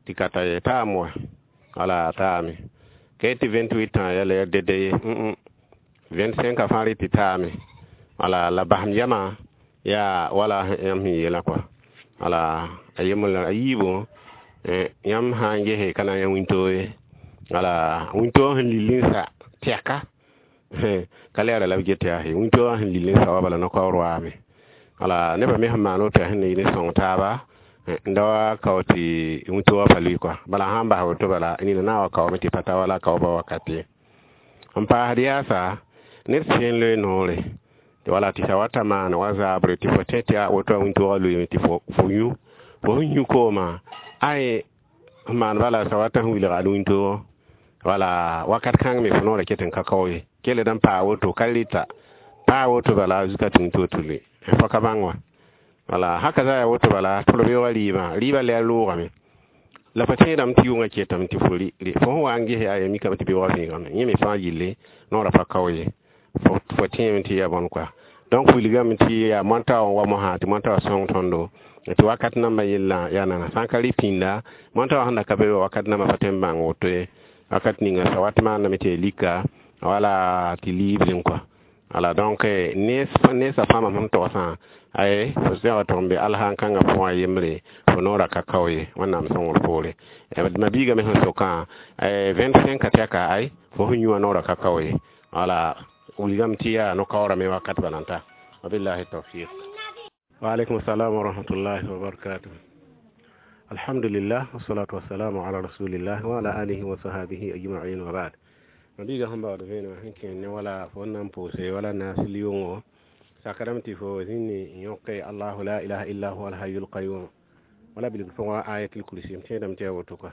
tɩ ka ta ye taam wa, wala taame ka tɩ 28 tã yɛla ya dede ye, 25 a fãa rɩ tɩ taame, wala la basem yamã yaa wala yãmb sẽn yeelã kɔa. Wala a yembr la a yiibu, yãmb sã n gese ka na n yã wĩntoog ye, wala wĩntoogã sẽn lill n sa tɛka ka lɛɛra la b get yaa wĩntoogã sẽn lill n sa wa bala no-kaoor waame. Wala nebã me sẽn maan woto yaa sẽn na yɩ ne sõng taaba n da wa kao tɩ wĩntoogã pa lʋɩ kɔa. Bala sã n bas woto, bala nina na n wa kaoome tɩ pa ta wala kaoobã wakat ye. N paasd yaasa, ned sẽn loe noore wala tɩ sa wata maan wa zaabre tɩ fo tẽ tɩ a woto a wĩntoogã lʋɩɩme tɩ fo yũ, fo sẽn yũ koomã ay n maan bala sa wata sẽn wilg ad wĩntoogã, wala wakat kãng me fo noorã ket n ka kao ye. Kell d n paa woto ka rɩta paa woto bala zuka tɩ wĩntoog tɩ lʋɩ fo ka bãng wa. Wala haka za ya woto bala tɩ beoogã rɩɩbã, rɩɩbã lɛɛr loogame la fo tẽedame tɩ yʋngã ketame tɩ fo rɩ. Fo sẽn wa n ges yaa ya mikame tɩ beoogã vẽegame, yẽ me fãa yille noorã pa kao ye, fo tẽeme tɩ yaa bõn kɔa. Donc wilgame tɩ yaa moanta wã wa mosã tɩ moanta wã sõng tõndo tɩ wakat nambã yellã yaa nana sã n ka rɩ pĩnda moanta wã sẽn da ka be wakat nambã pa tõe n bãng woto ye. Wakat ninga sa wat maandame tɩ ya lika wala tɩ liibrẽ kɔa. Wala donc nensã fãa sẽn togsã ay fo zẽga tʋg n be alsãn kãngã pʋgã yembre fo noorã ka kao ye, Wẽnnaam sõngr poore. Mabiigã me sẽn sokã 25 ka tɛka ay fo sẽn yũ wã noorã ka kao ye, wala wilgame tɩ yaa no-kaoorã me wakat bala n ta. Wabillahi tawfiq. Wa alaikum assalam wa rahmatullahi wa barakatuh. Alhamdulillah, wassalatu wassalamu ala rasulillah wa ala alihi wa sahabihi ajma'in wa ba'd. Mabiiga sẽn baood vẽenemã sẽn kẽ ne wala fo n na n pʋʋse wala naasl yʋngo sakadame tɩ fo zĩnd n yõke allahu la ilaha illa huwa alhayyul qayyum wala bilg pʋgã ayatul kursi, m tẽedame tɩ yaa woto kɔa.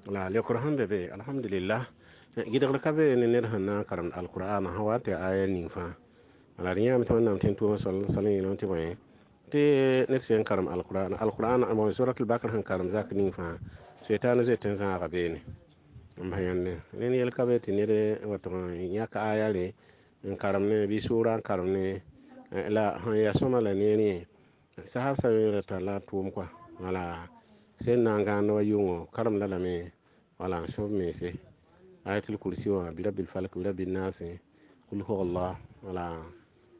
La leokr sẽn be be, alhamdulillah, gɩdgr ka be ne ned sẽn na n karemd alqur'ana sã wa tɩ aya ning fãa. Wala d yãame tɩ Wẽnnaam tẽn tʋʋm sal yeelame tɩ bõe tɩ ned sẽn karem alqur'an, alqur'an bon suratul bakr sẽn karem zak ning fãa, sʋɩtaan zoet n zãaga beene n bas yãnde ned yel ka be tɩ ned wa tʋg n yãk aya re n karem ne bɩ sʋʋra n karem ne la sẽn yaa sõma la neer yẽ sasab sa rata la tʋʋm kɔa. Wala sẽn na n gãand wa yʋngo karemda lame wala n sõb mense ayatul kursi wã bi rabbil falak bi rabbin nas kul huwa allah, wala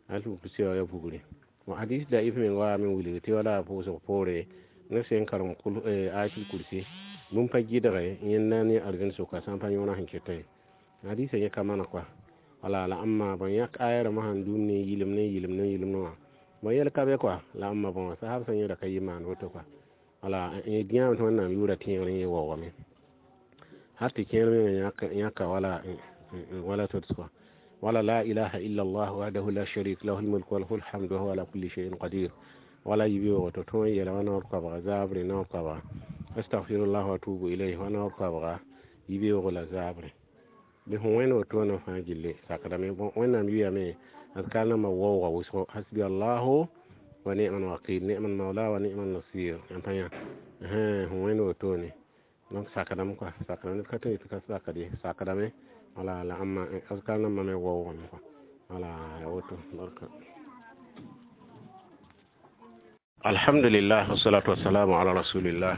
ayatul kursi wã ya bugre. Bon, hadis daif meng waame n wilg tɩ wala pʋʋsg poore ned sẽn karem kul ayatul kursi bũmb pa gɩdge yẽnda ne arzɛn sʋka sã n pa yõona sẽn keta ye, hadisã yẽ ka mana kɔa. Wala la ãmma bõn yãk aya rãmbã sãn dũm ne yɩlem ne yɩlem ne yɩlemd wã, bõn yɛl ka be kɔa. La ãmma bõn sasab sã yẽra ka yɩ maan woto kɔa. Wala yãame tɩ Wẽnnaam yʋʋra tẽegr yẽ waoogame har tɩ kẽer mengã yãka wala wala tods kɔa. Wala la ilaha illa allah wahdahu la sharik lahu lmulk wa lahu lhamdu wa huwa ala kulli shay'in qadir, wala yibi woto tõe n yeela wa naoor koabga zaabre naoor koabga astaghfirullah wa atubu ilayh wa naoor koabga yibeoogo la zaabre bɩ fõ wẽnd wotone fãa gilli sakdame. Bõn Wẽnnaam yʋyame azkar nambã waooga wʋsgo hasbi allahu wa ni'mal wakil ni'mal maula wa ni'mal nasir n pa yã fõ wẽnd wotone. Donc sakdame kɔa, sakdame ned ka tõe tɩ ka sakd ye, sakdame wala la ãmma azkar nambã me waoogame kɔa. Wala ya woto barka. Alhamdulillah, wassalatu wassalamu ala rasulillah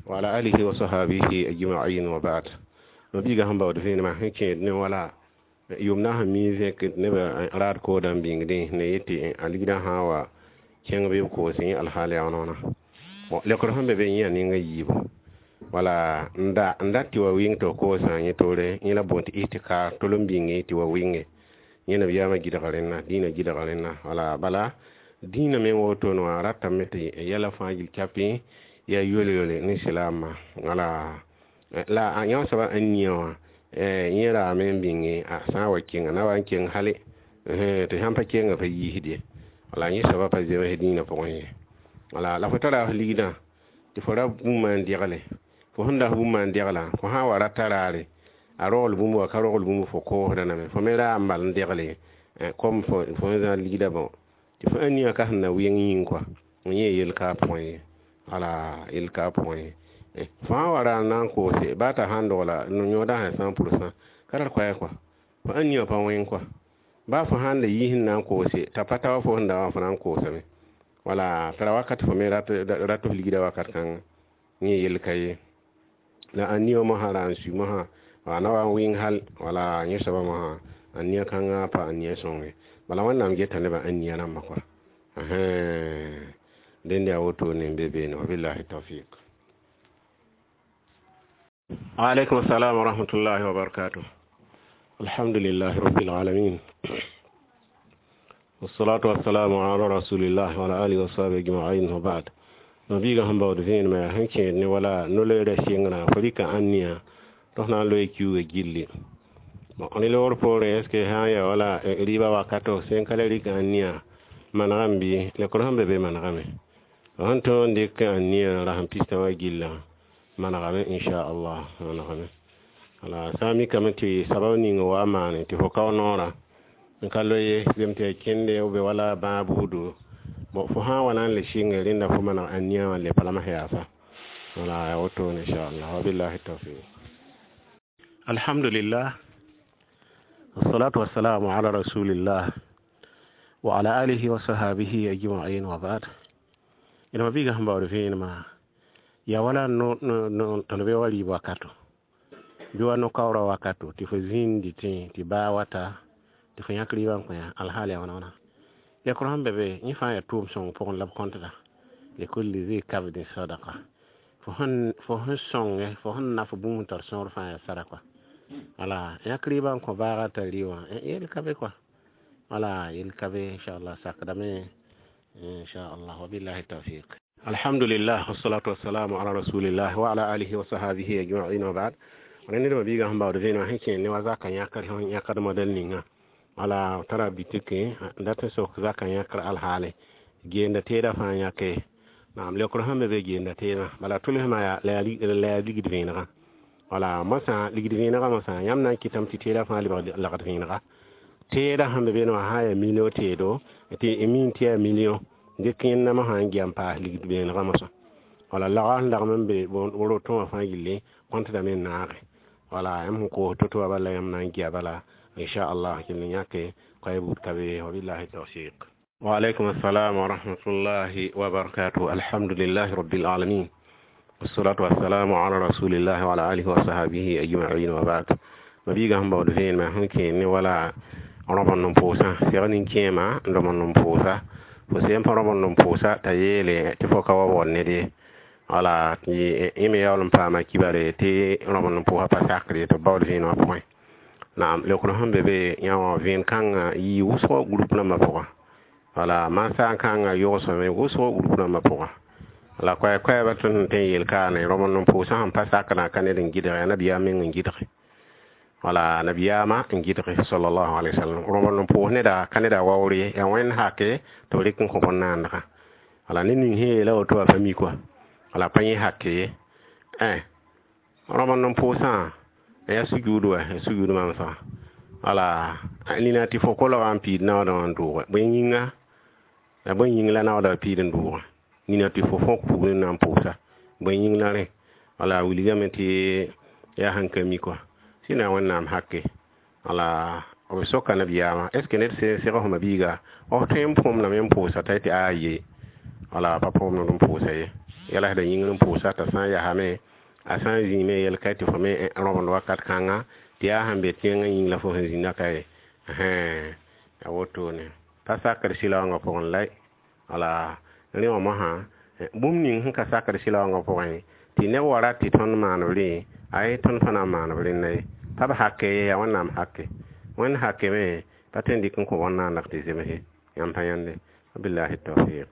wa ala alihi wa sahabihi ajma'in wa ba'd. Mabiiga sẽn baood vẽenemã sẽn kẽed ne wala yʋmdã sẽn mi zẽk nebã raad koodã n bĩngdẽ ne yetɩ a ligdã sã n wa kẽng bɩ b koos yẽ alhaal yaa noona. Bon, leokr sẽn be be yẽ yaa ninga yiibu, wala n da n dat tɩ wa wɩng tɩ f koosã yẽ toore yẽ la boond tɩ ihtikar tol n bĩnge tɩ wa wɩnge yẽ nabiyaamã gɩdga rẽnna dĩinã gɩdga rẽnna. Wala bala dĩinã meng wotone wã ratame tɩ yɛla fãa gill kapẽ yaa yol-yole ne silaamã. Wala la yã soaba n nia wã yẽ raame n bĩnge a sã n wa kenga na wa n keng hale tɩ sãn pa kenga pa yiisd ye. Wala yẽ soaba pa zems dĩinã pʋgẽ ye. Wala la fo tara f ligdã tɩ fo ra bũmb n degle fo sẽn das bũmb n deglã fo sã n wa rata raare a rogl bũmb wa ka rogl bũmb fo koosda name fo me raa n bal n degle kom fo zã ligdã bõ tɩ fo ania ka sẽn na wɩng yĩng kɔa yẽ yel ka pʋgẽ ye. Wala yel ka pʋgẽ ye. Fo sã n wa ra n na n koose baa t'a sãn dogla yõodã sã 100%, ka tar koɛɛg kɔa, fo ãnia pa wẽng kɔa. Baa fo sãn le yiis n na n koose t'a pa ta wa fo sẽn da wã fo na n koosame. Wala tara wakat fo me rat f ligda wakat kãnga, yẽ yel ka ye. La ãnia wã mosã ra n sui mosã wa na wa n wɩng hal, wala yẽ soabã mosã ãnia kãngã pa ãnia sõng ye. Bala Wẽnnaam geta nebã ãnia rãmbã kɔa. Dẽnd yaa wotone n be beene. Wabillahi tawfiq. Alaikum assalam wa rahmatullahi wa barakatuh. Alhamdulillah rabbil alamin. والصلاة والسلام على رسول الله وعلى آله وصحبه أجمعين وبعد. Mabiigã sẽn baood vẽenemã yaa sẽn kẽed ne wala no-loeerã sɩngrã fo rɩka ãnia tɩ f na n loe kiuugã gilli. Bon, rẽ loogr poorẽ, est ce que sã n ya wala rɩɩbã wakato sẽn ka le rɩk ãnia manegame bɩ lekr sẽn be be manegame. F sẽn tõog n dɩk ãnia rasem pistã wã gillã manegame, inchallah, manegame. Wala sã n mikame tɩ sabab ning wa n maane tɩ fo kao noorã n ka loe ye, zem tɩ ya kẽnde b wala bãag buudu. Bon, fo sã n wa na n le sɩnge rẽnda fo maneg ãnia wã n le pa la yaasa. Wala yaa wotone, inchallah. Wabillahi tawfiq. Alhamdulillah. والصلاة والسلام على رسول الله وعلى آله وصحابه أجمعين وبعد. Ina mabiga sẽn baood vẽenemã yaa wala no tõnd be wa rɩɩb wakato bɩ wa no-kaoorã wakato tɩ fo zĩnd dɩtẽ tɩ baa wata tɩ fo yãk rɩɩbã n kõ yã alhaal yaa wãna wãna. Lekr sẽn be be yẽ fãa yaa tʋʋm sõng pʋgẽ la b kõtda likulli zi kabdin sadaqa. Fo sẽn sõnge, fo sẽn naf bũmb n tar sõor fãa yaa sara kɔa. Wala yãk rɩɩbã n kõ baagã t'a rɩ wã yel ka be kɔa. Wala yel ka be, inchallah, sakdame, inchallah. Wabillahi tawfiq. Alhamdulillah wassalatu wassalamu ala rasulillah wa ala alihi wa sahabihi ajma'in wa ba'd. Rẽnd ned mabiigã sẽn baood vẽenemã sẽn kẽer ne wa zaka yãkr sẽn yãkd modɛl ninga wala tara bitike n dat n sok zaka yãkr alhaale geenda teedã fãa yãke. Naam, lekr sẽn be be geenda teedã bala tʋlsmã la yaa ligd vẽenegã. Wala mosã ligd vẽenegã mosã yãmb na n kɩtame tɩ teedã fãa lebg lagd vẽenega. Teedã sẽn be beene wã sã n yaa million teedo tɩ min tɩ yaa million dɩk yẽnda mosã n gea n paas ligd vẽenegã mosã. Wala lagã sẽn lagm n be roto wã fãa gilli kõntdame n naage. Wala yãmb sẽn koos to-to wã bala yãmb na n gea bala, inchallah, kell n yãke koɛɛ buud ka be. Wabillahi tawfiq. Wa alaikum assalam wa rahmatullahi wa barakatuh. Alhamdulillahi rabbil alamin. والصلاة والسلام على رسول الله وعلى آله وصحبه أجمعين وبعد. Mabiigã sẽn baood vẽenemã sẽn kẽer ne wala rõb n pʋʋsã seg nin-kẽema n rõb n pʋʋsa fo sẽn pa rõb n pʋʋsa t'a yeele tɩ fo ka wa waood ned ye. Wala tɩ yẽ me yaool n paama kibare tɩ rõb n pʋʋsã pa sakr ye tɩ b baood vẽenemã pʋgẽ. Naam, lekr sẽn be be yã wã vẽen kãngã yɩ wʋsgo group rãmbã pʋga. Wala mansã kãngã yogsame wʋsgo group rãmbã pʋga. La koɛɛ-koɛɛbã tõnd sẽn tõe n yel kaane rõb n pʋʋsã sẽn pa sakdã ka ned n gɩdge yaa nabiyaam meng n gɩdge. Wala nabiyaamã n gɩdge sallallahu alaihi wasallam. Rõb n pʋʋs neda ka neda waoor ye, yaa Wẽnd hake tɩ b rɩk n kõ bõn-naandgã. Wala ned ning sẽn yeela woto wã pa mi kɔa. Wala pa yẽ hake ye. Rõb n pʋʋsã yaa sujuud wa, yaa sujuud mamsgã. Wala nina tɩ fo kolgã n piid naoodã wã n dʋʋge. Bõe yĩnga? La bõe yĩng la naoodã piid n dʋʋge? Nina tɩ fo fõk pugr n na n pʋʋsa. Bõe yĩng la rẽ? Wala wilgame tɩ yaa sẽn ka mi kɔa. Sẽn yaa Wẽnnaam hake. Wala b soka nabiyaamã est ce que ned sẽn segl fo mabiiga f tõe n põmdame n pʋʋsa t'a tɩ aa ye. Wala pa põmd n pʋʋsa ye. Yɛla sẽda yĩngr n pʋʋsa t'a sã n yasame a sã n zĩime yɛl ka tɩ fo me rõbend wakat kãnga tɩ yaa sẽn be tẽngã yĩng la fo sẽn zĩnda ka ye. Yaa wotone. Pa sakr sɩla wãngã pʋgẽ la wala rẽ wã mosã bũmb ning sẽn ka sakr sɩla wãngã pʋgẽ tɩ neb wa rat tɩ tõnd maan b rẽ ay tõnd fãa na n maan b rẽnda ye. Pa b hake ye, yaa Wẽnnaam hake. Wẽnd hake me pa tõe n dɩk n kõ bõn-naandg tɩ zemse. Yãmb pa yãnde. Wabillahi tawfiq.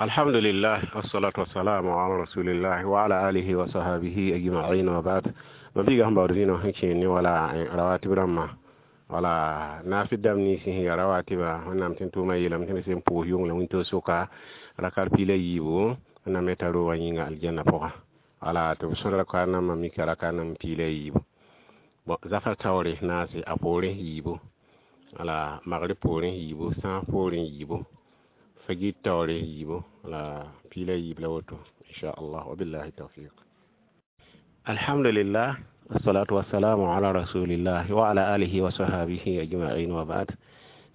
Alhamdulillah wassalatu wassalamu ala rasulillah wa ala alihi wa sahbihi ajma'in wa ba'd. Mabiigã sẽn baood vẽenem sẽn kẽer ne wala rawatib rãmbã wala naafɩ dãmb nins sẽn ya rawatiba Wẽnnaam tɩ n tʋʋmã yeelame tɩ b sẽn pʋʋs yʋng la wĩntoog sʋka rakar piila yiibu Wẽnnaam me t'a roogã yĩnga aljanna pʋga. Wala tɩ b sõd raka nambã mika raka nam piila yiibu. Bon, zafar taoore naase a poorẽ yiibu. Wala magrib poorẽ yiibu, sãas poorẽ yiibu. Fagit taoore yiibu la piila yiib la woto, inchallah. Wabillahi tawfiq. Alhamdulillah, wassalatu wassalamu ala rasulillah wa ala alihi wa sahabihi ajma'in wa ba'd.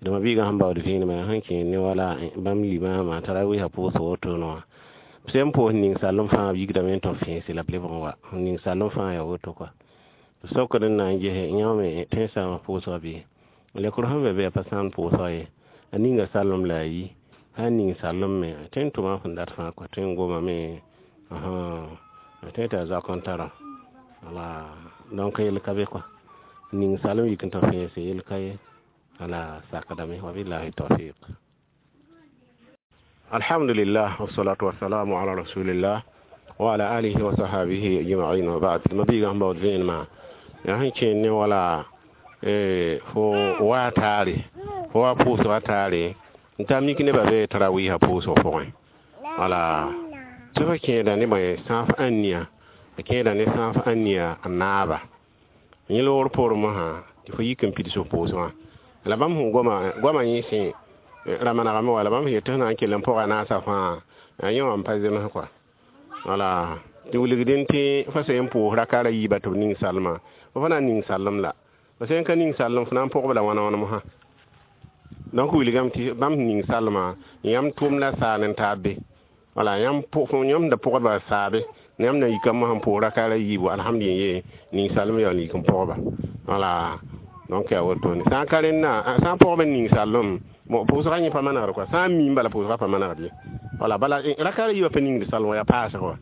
Dama biiga sẽn baood vẽenemã sẽn kẽer ne wala bãmb limama tarawiisã pʋʋsg wotone wã, b sẽn pʋʋs ning sallem fãa b yikdame n tɩ b fẽese la b lebg n wa ning sallem fãa yaa woto kɔa. B sokd n na n gese yãmb me tõe n saama pʋʋsga bɩ lekr sẽn be be yaa pa sãamd pʋʋsga ye, a ninga sallem la a yi sã n ning sallem me tõe n tʋma sẽn dat fãa kɔa, tõe n gomame, a tõe t'a zoak n tara wala. Donc yel ka be kɔa, ning sallem yik n tɩ fẽese yel ka ye, wala sakdame. Wabillahi tawfiq. Alhamdulillah, wassalatu wassalamu ala rasulillah wa ala alihi wa sahabihi ajma'in wa ba'd. Ma biiga sẽn baood vẽenemã yaa sẽn kẽer ne wala fo wa taare, fo wa pʋʋsga taare n ta mik nebã be tarawiisã pʋʋsg pʋgẽ, wala tɩ fa kẽeda ne bõe sãaf ãnnia, a kẽeda ne sãaf ãnnia a naaba yẽ loogr poorẽ mosã tɩ fo yik n pids f pʋʋsgã. La bãmb sẽn goma goamã yẽ sẽ ra manegame wala bãmb sẽn yet tɩ sẽn na n kell n pʋga naasã fãa yẽ wã n pa zems kɔa, wala tɩ wilgdẽ tɩ fa sẽn pʋʋs rakaara yiiba tɩ b ning salmã, fo fa na n ning sallem la fa sẽn ka ning sallem, fo na n pʋgb la wãna wãn mosã. Donc wilgame tɩ bãmb sẽn ning salmã, yãmb tʋʋm la saan n taab be, wala yãmb yãmb da pʋgdba saabe, yãmb na yika mosã n pʋʋs rakaara yiibu, alhamdulillah, ning salem yaool yik n pʋgba, wala. Donc yaa wotone, sã n ka rẽnna, sã n pʋgb n ning sallem, bon, pʋʋsgã yẽ pa manegd kɔa, sã n miim bala pʋʋsgã pa manegd ye, wala bala rakaara yiibã pa ningd salem yaa paasg wã,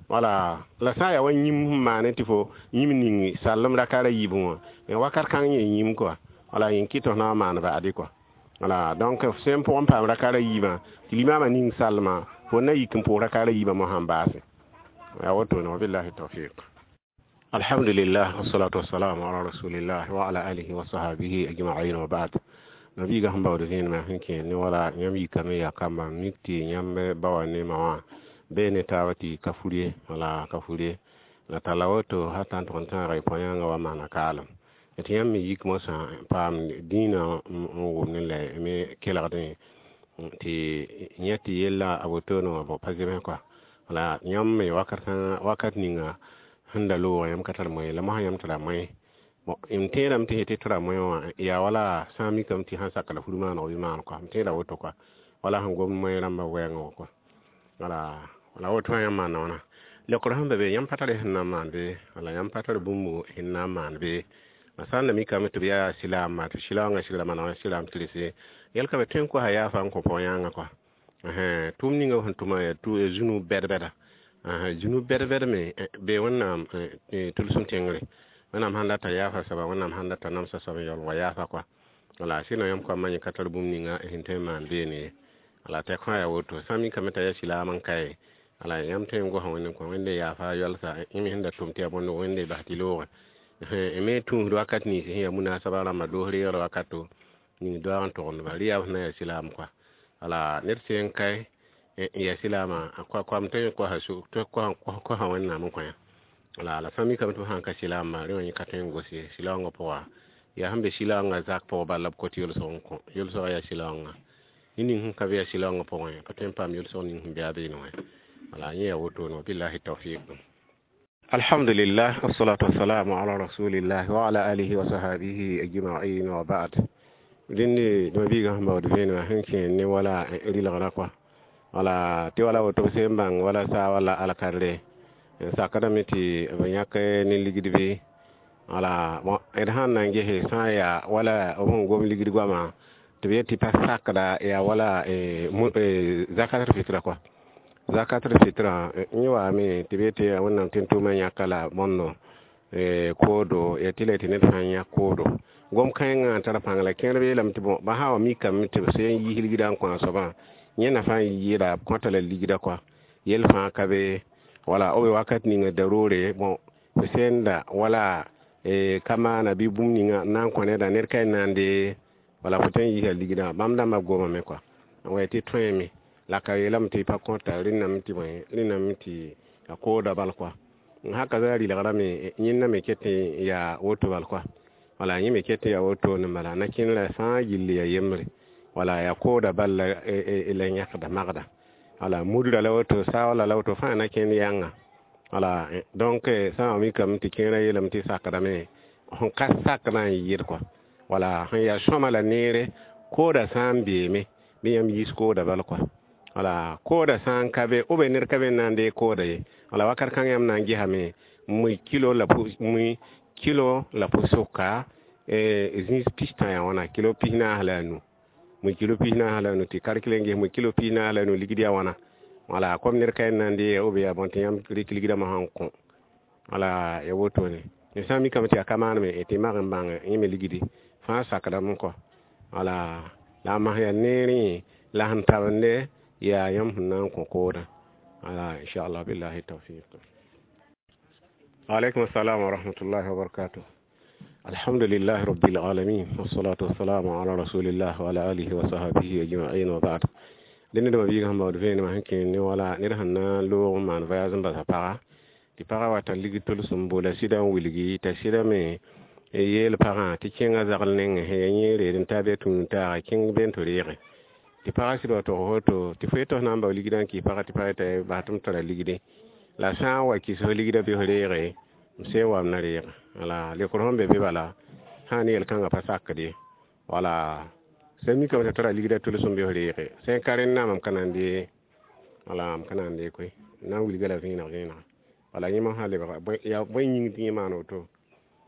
wala la sã n yaa wa yĩm sẽn maane tɩ fo yĩm ning sallem rakaara yiibẽ wã wakat kãng yẽ yĩm kɔa, wala yẽ kɩt tɩ f na n maan ba'adi kɔa, wala. Donc f sẽn pʋgẽ paam rakaara yiibã tɩ limaamã ning salmã, fo na yik n pʋʋs rakaara yiibã mosã n baase, yaa wotone. Wabillahi tawfiq. Alhamdulillah, wassalatu wassalamu ala rasulillah wa ala alihi wa sahabihi ajma'in wa ba'd. Nabiiga sẽn baood vẽenemã sẽn kẽer ne wala yãmb yikame yaa kamba mik tɩ yãmb ba wa ne ma wã bee ne taaba tɩ ka fur ye, wala ka fur ye la talla woto hata n tʋg n tãaga y põ-yãngã wa maana kaalem tɩ yãmb me yik mosã paam dĩinã n wʋm ne la me kelgdẽ tɩ yẽ tɩ yella a wotone wã bõ pa zems kɔa, wala yãmb me wakat kãngã wakat ninga sẽn da loogã yãmb ka tar moe la mosã yãmb tara moe. Bon, m tẽedame tɩ tɩ tara moe wã yaa wala sã n mikame tɩ sãn sak la fur maaneg bɩ maan kɔa, m tẽeda woto kɔa, wala sẽn gom moe rãmbã wɛɛngã wã kɔa, wala woto wã yãmb maana wãna lekr sẽn be be yãmb pa tare sẽn na n maan be, wala yãmb pa tar bũmb sẽn na n maan be. La sã n da mikame tɩ b yaa silaamã tɩ silaoongã sigra manegã silaam tɩrse yɛl ka be tõe n kosa yaafa n kõ pao-yãngã kɔa. Tʋʋm ninga sẽn tʋma yaa zũnu bɛd-bɛda, zũnu bɛd-bɛd me be Wẽnnaam tʋlsem tẽngre, Wẽnnaam sãn data yaafa soaba, Wẽnnaam sãn data namsa soab n yaool wa yaafa kɔa, wala sɩd yãmb koamã yẽ ka tar bũmb ninga sẽn tõe n maan beene ye, wala tɛk fãa yaa woto. Sã n mikame t'a yaa silaam n kae, wala yãmb tõe n gosa Wẽnd n kõ Wẽnde yaafa yɔlsa yẽ me sẽn da tʋm tɩ yaa bõnd Wẽnde bas tɩ loogẽ me tũusd wakat nins sẽn yaa munasaba rãmba doos reegr wakato ning doaag n togend-ba rɩ yaa f na yaa silaam kɔa, wala ned sẽn kae n yaa silaamã koam tõe n kosa Wẽnnaam n kõ yã, wala la sã n mikame tɩ b sãn ka silaamã rẽ wã yẽ ka tõe n gos ye silaoongã pʋga, yaa sẽn be silaoongã zak pʋg bala la b kot yʋlsg n kõ yʋlsgã yaa silaoongã ned ning sẽn ka be yaa silaoongã pʋgẽ pa tõe n paam yʋlsg ning sẽn be a beene wã, wala yẽ yaa wotone. Wabillahi tawfiq. Alhamdulillah, wassalatu wassalamu ala rasulillah wa ala alihi wa sahabihi ajma'in wa ba'd. Dẽnde dõma biigã sẽn baood vẽenemã sẽn kẽer ne wala rɩlgrã kɔa, wala tɩ wala woto b sẽn bãng wala saa wala alkadre n sakdame tɩ b yãk ne ligd bɩ, wala d sãn na n gese sã n yaa wala b sẽn gom ligd goamã tɩ b yet tɩ pa sakda yaa wala zakatul fitra kɔa, zakatul fitra yẽ waame tɩ b yetɩ Wẽnnaam tẽn-tʋʋmã yãka la bõndo koodo ya tɩ la tɩ ned sã n yãk koodo gom kãengã n tar pãng la kẽerb yeelame tɩ bõ ba sã wa mikame tɩ b sẽn yiis ligdã n kõ a soabã yẽ nafa n yɩɩda b kõta la ligdã kɔa yel fãa ka be, wala b wakat ninga daroore bõ f sẽnda wala ka maana bɩ bũmb ninga n na n kõ neda ned ka n na n dee, wala fo tõe n yiisa ligdã bãmb dãmbã gomame kɔa n wa tɩ tõeme la ka yeelame tɩ pa kõta rẽnname tɩ bõe rẽnname tɩ a kooda bal kɔa n haka za rɩlgrã me yẽnda me ket n yaa woto bal kɔa, wala yẽ me ket n yaa wotone bala na kẽnerã fãa gilli yaa yembre. Wala yaa kooda bal la yãkda magda. Wala mudra la woto, saoola la woto fãa na kẽnd yãnga. Wala donc sã n wa mikame tɩ kẽerã yeelame tɩ sakdame, sẽn ka sakdã n yɩɩd kɔa. Wala sẽn yaa sõma la neere, kooda sã n beeme bɩ yãmb yiis kooda bal kɔa. Wala kooda sã n ka be, b ned ka be n na n deeg kooda ye. Wala wakat kãng yãmb na n gesame mui kilo la mui kilo la pʋsʋka zĩis pistã yaa wãna kilo 45 la a nu, mui kilo 45 la a nu, tɩ kalkɩl n ges mui kilo 45 la a nu ligd yaa wãna. Wala kom ned ka n na n deega b yaa bõe tɩ yãmb rɩk ligdã mosã n kõ. Wala ya wotone sã n mikame tɩ yaa ka maaneme tɩ mag n bãng yẽ me ligdi fãa sakdame kɔ. Wala la a mas yaa neerẽ la sẽn tabende yaa yãmb sẽn na n kõ koodã. Wala inchallah, billahi tawfiq. Waalaikum assalam wa rahmatullahi wa barakatuh. Alhamdulillahi rabbil alamin, wassalatu wassalamu ala rasulillah wa ala alihi wa sahbihi ajma'in, wa ba'd. Dẽnd dãmbã biigã sẽn baood vẽenemã sẽn kẽer ne wala ned sẽn na n loog n maan voyage n basa paga, tɩ pagã wa tar ligd tʋlsem boola sɩda n wilgi, t'a sɩda me yeel pagã tɩ kẽngã zagl nengẽ sẽn yaa yẽ reed n taa bɩ a tũud taaga kẽng be n tɩ reege. Tɩ pagã sɩd wa tog woto tɩ fo yetɩ f na n bao ligdã n kɩs pagã, tɩ pagã yeta bas tɩ m tara ligde la sã n wa kɩs f ligdã bɩ f reege, m sẽn wa m na reege. Wala lekr sẽn be be bala sã ne yel-kãngã pa sakd ye. Wala sã n mikame tɩ tara ligdã tʋlsem bɩ f reege, sã n ka rẽndã mam ka na n dee, wala m ka na n dee koe, na n wilga la vẽeneg vẽenega. Wala yẽ mosã lebga yaa bõe yĩng tɩ yẽ maan woto.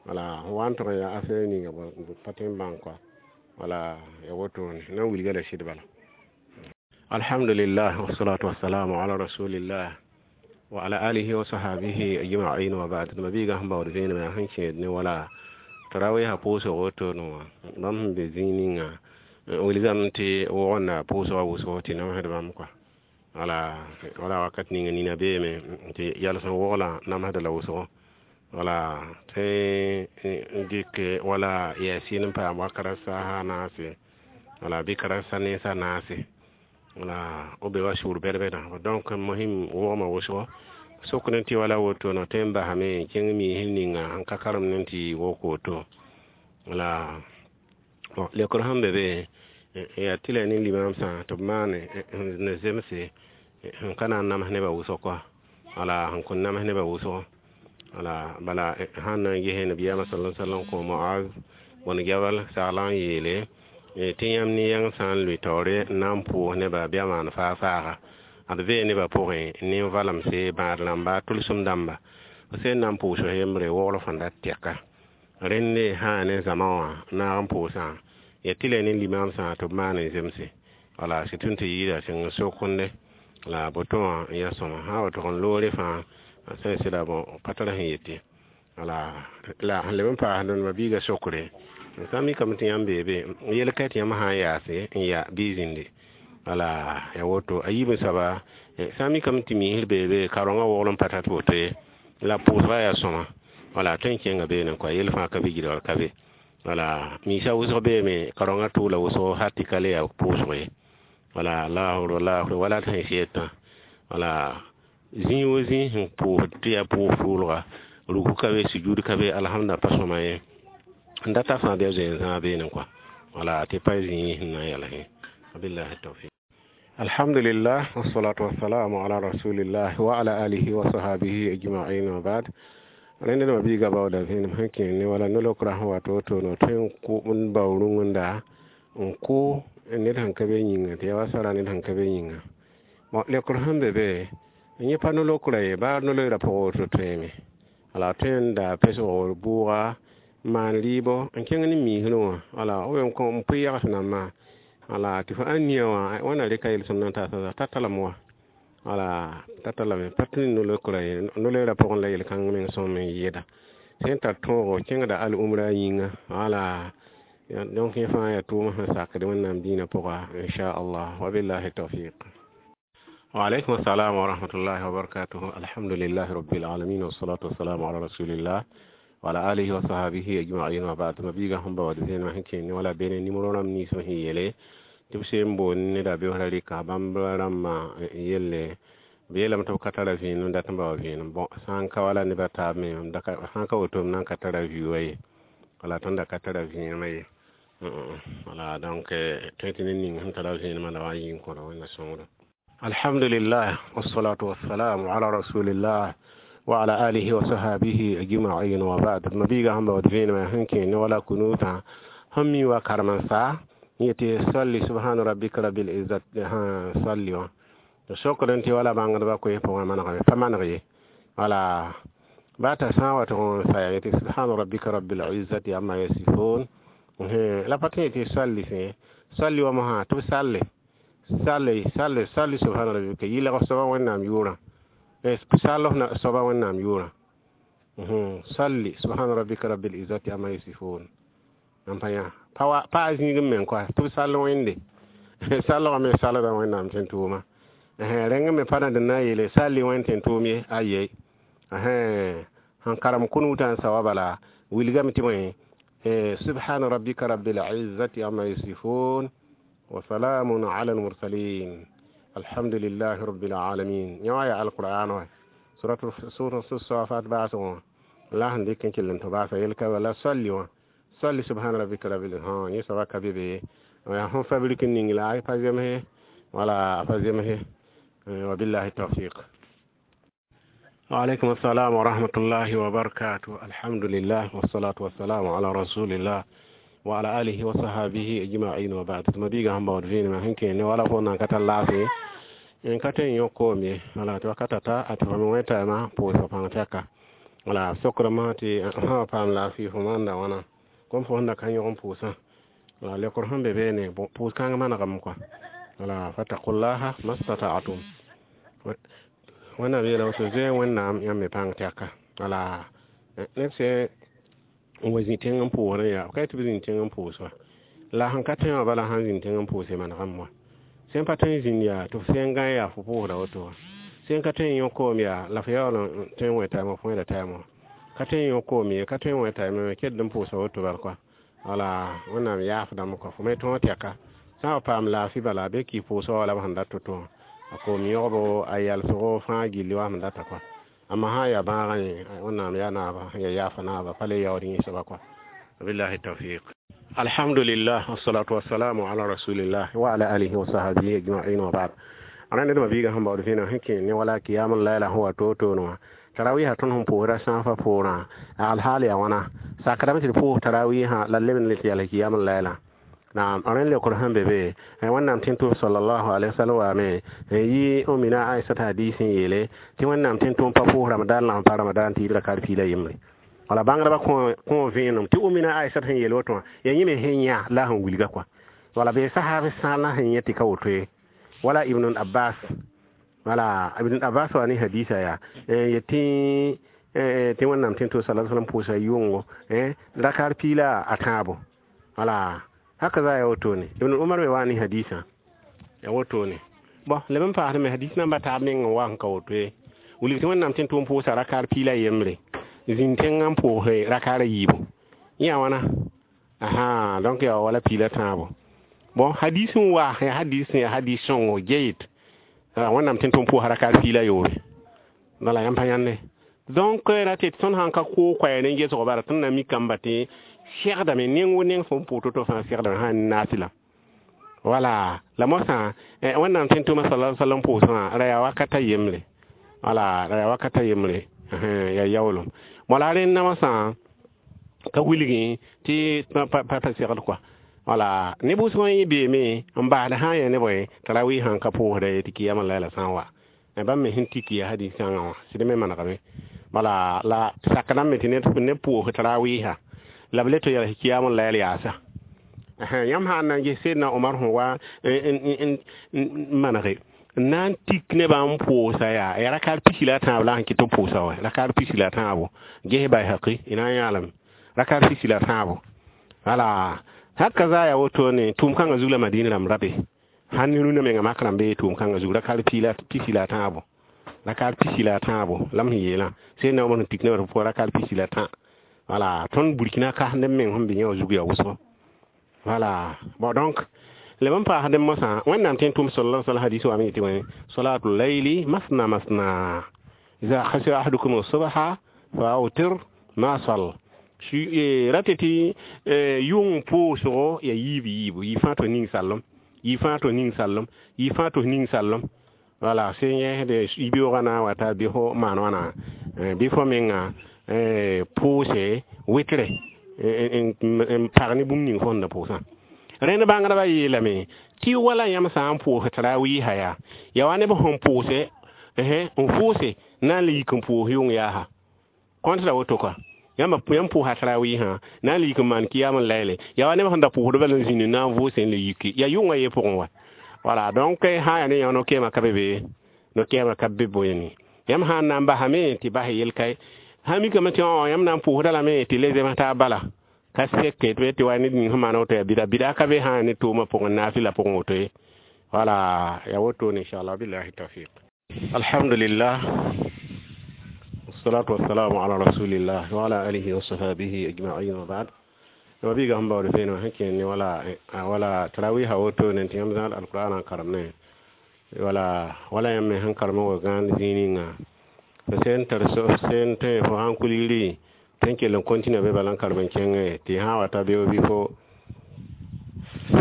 Wala f wa n tʋg n yaa affaire ninga pa tõe n bãng kɔa. Wala ya wotone na n wilga la sɩd bala. Alhamdulillah, wassalatu wassalamu ala rasulillah wa ala alihi wa sahbihi ajma'in, wa ba'd. Ma biiga sẽn baood vẽenemã sẽn kẽed ne wala tarawiisã pʋʋsg wotone wã, bãmb sẽn be zĩig ninga wilgame tɩ wogenda pʋʋsgã wʋsgo tɩ namsd bãmb kɔa. Wala wakat ninga nina beeme tɩ yals n woglã namsda la wʋsgo. Wala tõe n dɩk wala yasin n paam wakat a saasa naase, wala bɩ karasa nensã naase, wala b be wa sʋʋr bɛd-bɛdã. Donc mosɩm wogmã wʋsgo sokd tɩ wala wotone tõe n basame n kẽng miisr ninga sẽn ka karemd n tɩ wok woto. Wala lekr sẽn be be yaa tɩ la ne limamsã tɩ b maane ne zemse sẽn ka na n nams nebã wʋsg kɔa. Wala sẽn kõn nams nebã wʋsgo. Wala bala sãn na n ges nabiyaamã sala sallam kõ Moaz bõn Jabal saglã n yeele tɩ yãmb ne yãng sã n lʋɩ taoore n na n pʋʋs nebã bɩ a maan faa-faaga, ad vee nebã pʋgẽ nin-valemse bãad rãmba tʋlsem dãmba f sẽn na n pʋʋs yembre wogr fãa dat tɛka. Rẽnde sã ne zãma wã naag n pʋʋsã yaa tɩ la ne limamsã tɩ b maan n zemse. Wala sɩd tɩ yɩɩda sẽng sokende la boto wã n yaa sõma sã n wa tʋg n loore fãa sẽn sɩda bõ pa tar sẽn yete. Wala la sẽn leb n paasd ma biiga sokre sã n mikame tɩ yãmb bee be yel ka tɩ yãmb sã n yaase n yaa bɩ zĩndi. Wala ya woto a yiib n soaba sã n mikame tɩ miisr bee be kaorengã wogl n pa tar tɩ woto ye la pʋʋsgã yaa sõma. Wala tõe n kẽnga beene kɔa yel fãa ka be gɩdgr ka be. Wala miisã wʋsg beeme kaorengã tʋʋla wʋsgo hal tɩ ka le yaa pʋʋsg ye. Wala laafr wala tɩ sẽn sɩdtã. Wala zĩig wo zĩig sẽn pʋʋsd tɩ yaa pʋʋs tʋʋlga ruku ka be sujud ka be alhamda pa sõma ye n data fãa bɩ a zoe n zãag beene kɔa. Wala tɩ pa zĩig sẽn na n yals wabillahi tawfiq. Alhamdulillah, wassalatu wassalamu ala rasulillah wa ala alihi wa sahbihi ajma'in, wa ba'd. Rẽnd dãmbã biiga baooda vẽenem sẽn kẽer ne wala no-lokra sẽn wa to-woto tõe n kʋ n bao rũngenda n kʋ ned sẽn ka be yĩnga tɩ yaa wa sara ned sẽn ka be yĩnga. Bon, lekr sẽn be be yẽ pa no-lokra ye baa no-loeerã pʋgẽ woto tõeme. Wala tõe n daa pesg bʋʋga n maan rɩɩbɔ n kẽng ne miisrẽ wã. Wala b n kõ n pʋɩ yags nambã. Wala tɩ fo ãn nia wã wãnna rɩka yel-sõmd n taasa ta talame wa. Wala ta talame pa tɩ no-lokra ye no-loeerã pʋgẽ la yel-kãng meng sõm n yɩɩda sẽn tar tõogo kẽngda al-umra yĩnga. Wala donc yẽ fãa yaa tʋʋm sẽn sakd Wẽnnaam dĩinã pʋga inchallah, wabillahi tawfiq. وعليكم السلام ورحمة الله وبركاته. الحمد لله رب العالمين، والصلاة والسلام على رسول الله وعلى آله وصحبه أجمعين، وبعد. ما بيغا هم بود زين ما هنكين ولا بين نيمورو رام ني سو يلي تبسين بون ندا بيوهرا ريكا بامبا رام يلي بيلم تو katara vẽenem dat n bao vẽenem. Bon, sã n ka wala nebã taab me sã n ka woto m na n ka tara vɩ ye, wala tõnd da ka tara vẽenemã ye. Wala donc tõe tɩ ned ning sẽn tara vẽenemã la wa n yɩ n kõda Wẽnna sõngdo. Alhamdulillah, wassalatu wassalamu ala rasulillah wa ala alihi wa sahabihi ajma'in wa ba'd. Mabiiga sẽn baood vẽenemã sẽn kẽ ne wala kunuutã sẽn mi wa karem-n-sa yetɩ salli subhana rabbika rabbil izzat salli wã sokd tɩ wala bãngdbã koes pʋgẽ manegame pa maneg ye. Wala ba t'a sã n wa tɩ n saya yetɩ subhana rabbika rabbil izzati amma yasifun. La pa tõe tɩ salli sẽ salli wa mosã tɩ b salle salle salle salli subhana rabbika yɩlg soaba Wẽnnaam yʋʋrã, sall soaba Wẽnnaam yʋʋrã, salli subhana rabbika rabbil izzati amma yasifun. N pa yã pa a zĩig n meng koa tɩ b sall Wẽnde sallgã me salda Wẽnnaam tẽn-tʋʋma. Rẽng me pa na d na n yeele salli Wẽnd tẽn-tʋʋm ye aye. Sẽn karem kunuutã n sa wa bala wilgame tɩ bõe subhana rabbika rabbil izzati amma yasifun wa salamun ala almursalin alhamdulillahi rabbil alamin. Yã wã yaa alqur'an wa sura safat baasg wã la sẽn dɩk n kell n tɩ baasa yel-ka wala salli wã salli subhana rabbika rabbil yẽ soaba ka be be yaa fõn fabrik n ning la a pa zemse wala a pa zemse. Wabillahi tawfiq. وعليكم السلام ورحمة الله وبركاته. الحمد لله والصلاة والسلام على رسول الله وعلى آله وصحبه أجمعين وبعد. مبيغا هم بعد فين ما هنكي ني ولا فونا كتا لافي إن كتا يوكومي ولا توكتا تا أتفهم ويتا ما بوسو فانتكا ولا سكر ما تي ها فام لافي فمان دا وانا كم فون كان يوم بوسا ولا لكور هم بيبيني بوس كان ما نغم كوا ولا فتقوا الله ما استطعتم. Wẽnnaam yeela woto zoe Wẽnnaam yãmb me pãng tɛka. Wala neb sẽ n wa zĩ tẽng n pʋʋsdẽ yaa ka tɩ b zĩnd tẽng n pʋʋs wa la sẽn ka tõe wã bala sãn zĩnd tẽng n pʋʋse manegame wa sẽn pa tõe n zĩnd yaa tɩ f sẽn gã yaa fo pʋʋsda woto wa sẽn ka tõe n yõ koom yaa la f yaool n tõe n wẽ taɩmã fo wẽda taɩmã wã ka tõe n yõ koom ye ka tõe n wẽ taɩmã ked n pʋʋsa woto bal kɔa. Wala Wẽnnaam yaafdame kɔa fo me tõog tɛka sã n wa paam laafɩ bala be kɩ pʋʋsga wala b sẽn dat to-to wã a koom yõgbo a yalsgo fãa gilli wa sẽn data kɔa. Amma sã n yaa bãagã yẽ Wẽnnaam yaa naaba ya yaafa naaba pa le yaood yẽ soaba kɔa. Billahi tawfiq. Alhamdulillah, wassalatu wassalamu ala rasulillah wa ala alihi wa sahbihi ajma'in wa ba'd. Rãnd d mabiigã sẽn baood vẽeneg sẽn kẽ ne wala kiyam layla sẽn wa toor-toor wã tarawiisã tõnd sẽn pʋʋsda sãafã pʋʋrã alhaal yaa wãna sakdame tɩ d pʋʋs tarawiisã la leb n le tɩ yals kiyam layla. Naam, rẽnd leokr sẽn be be Wẽnnaam tẽn-tʋʋm sallallahu alaihi wasallam waame n yɩ Umina Aisata hadis n yeele tɩ Wẽnnaam tẽn-tʋʋm pa pʋʋs Ramadan la sẽn pa Ramadan tɩ yɩ rakar piila yembre. Wala bãngdbã kõ vẽenem tɩ Umina Aisata sẽn yeel woto wã yaa yẽ me sẽn yã la sẽn wilga kɔa. Wala bee sahaab sã la sẽn yẽ tɩ ka woto ye. Wala Ibn Abbas, wala Ibn Abbas wa ne hadisa yaa yetɩ tɩ Wẽnnaam tẽn-tʋʋm sallallahu alaihi wasallam pʋʋsa yʋngo rakar piila a tãabo. Wala haka za ya woto ne Ibn Umar me wani hadisa ya woto ne bon leb n paasd me hadis namba taab meng n wa n ka woto ye wilg tɩ Wẽnnaam tẽn-tʋʋm pʋʋsa rakar piila yembre zĩnd tẽngã n pʋʋse rakar a yiibu yã wãna aha donc yaa wala piila tãabo. Bon hadis n wa ya hadis ya hadis sõngo jeyid Wẽnnaam tẽn-tʋʋm pʋʋsa rakar piila yoobe wala yãmb pa yãnde. Donc ra tɩ tõnd sãn ka koog koɛɛg ne gesgo bara tõnd na mikame tɩ segdame neng wo neng fõn pʋʋs to-to fãa segdame sã n naasɩla. Wala la mosã Wẽnnaam tẽn-tʋʋmã sallallahu alaihi wasallam pʋʋsã ra yaa wakata yembre. Wala ra yaa wakata yembre yaa yaoolem. Wala rẽnda mosã ka wilgẽ tɩ pa segd kɔa. Wala ne bʋsg n yẽ beeme n basd sã n yaa ne bõe tarawih sãn ka pʋʋsda ye tɩ kiyama layla sã n wa bãmb me sẽn tik yaa hadis kãngã wã sɩd me manegame. Wala la sakdame tɩ neb pʋʋs tarawiisã la b le tɩ yals kiyam layl yaasa. Yãmb sã n na n ges Seydna Omar sẽn wa n manege n na n tik nebã n pʋʋsa yaa rakar pisi la a tãab la sẽn kɩt b pʋʋsa wa rakar pisi la a tãabo ges Bayhaqi y na n yãalame rakar pisi la a tãabo. Wala haka za ya woto ne tʋʋm kãngã zug la Madina rãmb ra be sãn ne rũnã menga mak rãmb bee tʋʋm kãngã zug rakar pisi la a tãabo rakar pisi la a tãabo la m sẽn yeelã Seydna Omar sẽn tik nebã tɩ b pʋʋs rakar pisi la tã. Wala tõnd Burkina kas neb meng sẽn be yã wã zug yaa wʋsgo. Wala bon donc leb n paasd mosã Wẽnnaam tẽn-tʋʋm sallallahu alaihi wasallam hadis wame yetɩ wã salatul layli masna masna iza khashiya ahadukum as-subha fa awtir ma sall. Rate tɩ yʋng pʋʋsgo ya yiib yiibu, yɩ fãa tɩ ning sallem, yɩ fãa tɩ ning sallem, yɩ fãa tɩ ning sallem. Wala sẽn yẽsde yibeoogã na n wa t'a bɩ fo maan wãna, bɩ fo menga pʋʋse wɩtre n pag ne bũmb ning fo sẽn da pʋʋsã. Rẽnd bãngdbã yeelame tɩ wala yãmb sã n pʋʋs tarawiisã yaa wa neb sẽn pʋʋse n vʋʋse na n le yik n pʋʋs yʋng yaasa. Kõnt ra woto kɔa, yãmb pʋʋsa tarawiisã na n le yik n maan kiyam n layle, yaa wa neb sẽn da pʋʋsd bala n zĩnd na n vʋʋse n le yiki, yaa yʋngã ye pʋgẽ wa. Wala donc sã n yaa ne yã no-kɛɛmã ka be be, no-kɛɛmã ka be bõe. Yãmb sã n na n basame tɩ bas yel kae, sã mikame tɩ yãmb na n pʋʋsda lame tɩ le zems taab bala ka seke tɩ wa ned ning sẽn maan woto yaa bɩda, bɩda ka be sã n yaa ne toomã pʋgẽ, naafɩlã pʋgẽ woto ye. Wala yaa wotone inchallah, billahi tawfiq. Alhamdulillah, wassalatu wassalamu ala rasulillah wa ala alihi wa sahbihi ajma'in wa ba'd. Mabiiga sẽn baood vẽenemã sẽn kẽer ne wala tarawiisã wotone tɩ yãmb zãad alqur'ana n karem ne wala wala yãmb me sẽn karem n wa gãand zĩig ninga fo sẽn tar sẽn tõe fo sãn kulgri tɩ n kell n continue be bala n karem n kẽngẽ tɩ sã n wa ta beoog bɩ fo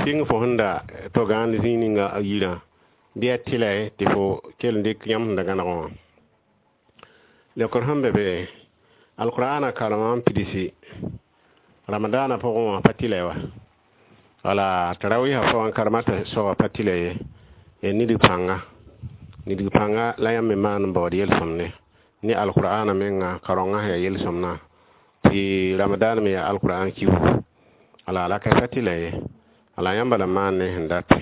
sɩng fo sẽn da tɩ gãand zĩig ninga yirã bɩ yaa tɩla tɩ fo kell n dɩk yãmb sẽn da gãneg wã. Lekr sẽn be be alqur'ana karemã n pidsi ramadaana pʋgẽ wã pa tɩla wa. Wala tarawiisã pʋgã n karema tɩ soaba pa tɩla ye, ya nidg pãnga, nidg pãnga la yãmb me maan n baood yel-sõmde ne alqur'ana menga karengã sẽn yaa yel-sõmdã tɩ ramadaan me yaa alqur'an kiugu. Wala la ka pa tɩla ye, wala yãmba la maan ne sẽn date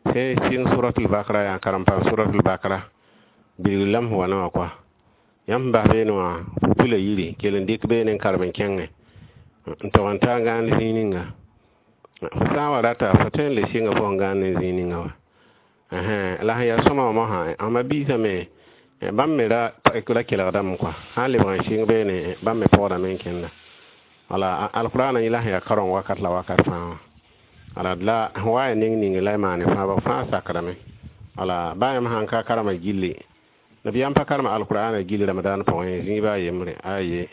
sẽn sɩng suratul bakra yaa karem paam suratul bakra bilg lam sẽn wa ne wã kɔa. Yãmb sẽn bas beene wã fo pila yiri kell n dɩk beene n karem n kẽngẽ n tog n ta n gãand zĩig ninga. Fo sã n wa rata fo tõe n le sɩnga fo sẽn gãand ne zĩig ninga wa. La sẽn yaa sõma wã mosã ãmba biisame bãmb me ra kelgdame kɔa, sã n lebg n sɩng beene bãmb me pɔgdame n kẽnda. Wala alqur'ana yẽ la sẽn yaa kareng wakat la wakat fãa wã. Wala la sẽn wa ya neng ning la y maane fãa ba fãa sakdame. Wala baa yãmb sãn ka karema gilli, nabiyaam pa karema alqur'ana gilli ramadan pʋgẽ zĩig a yembre a ye.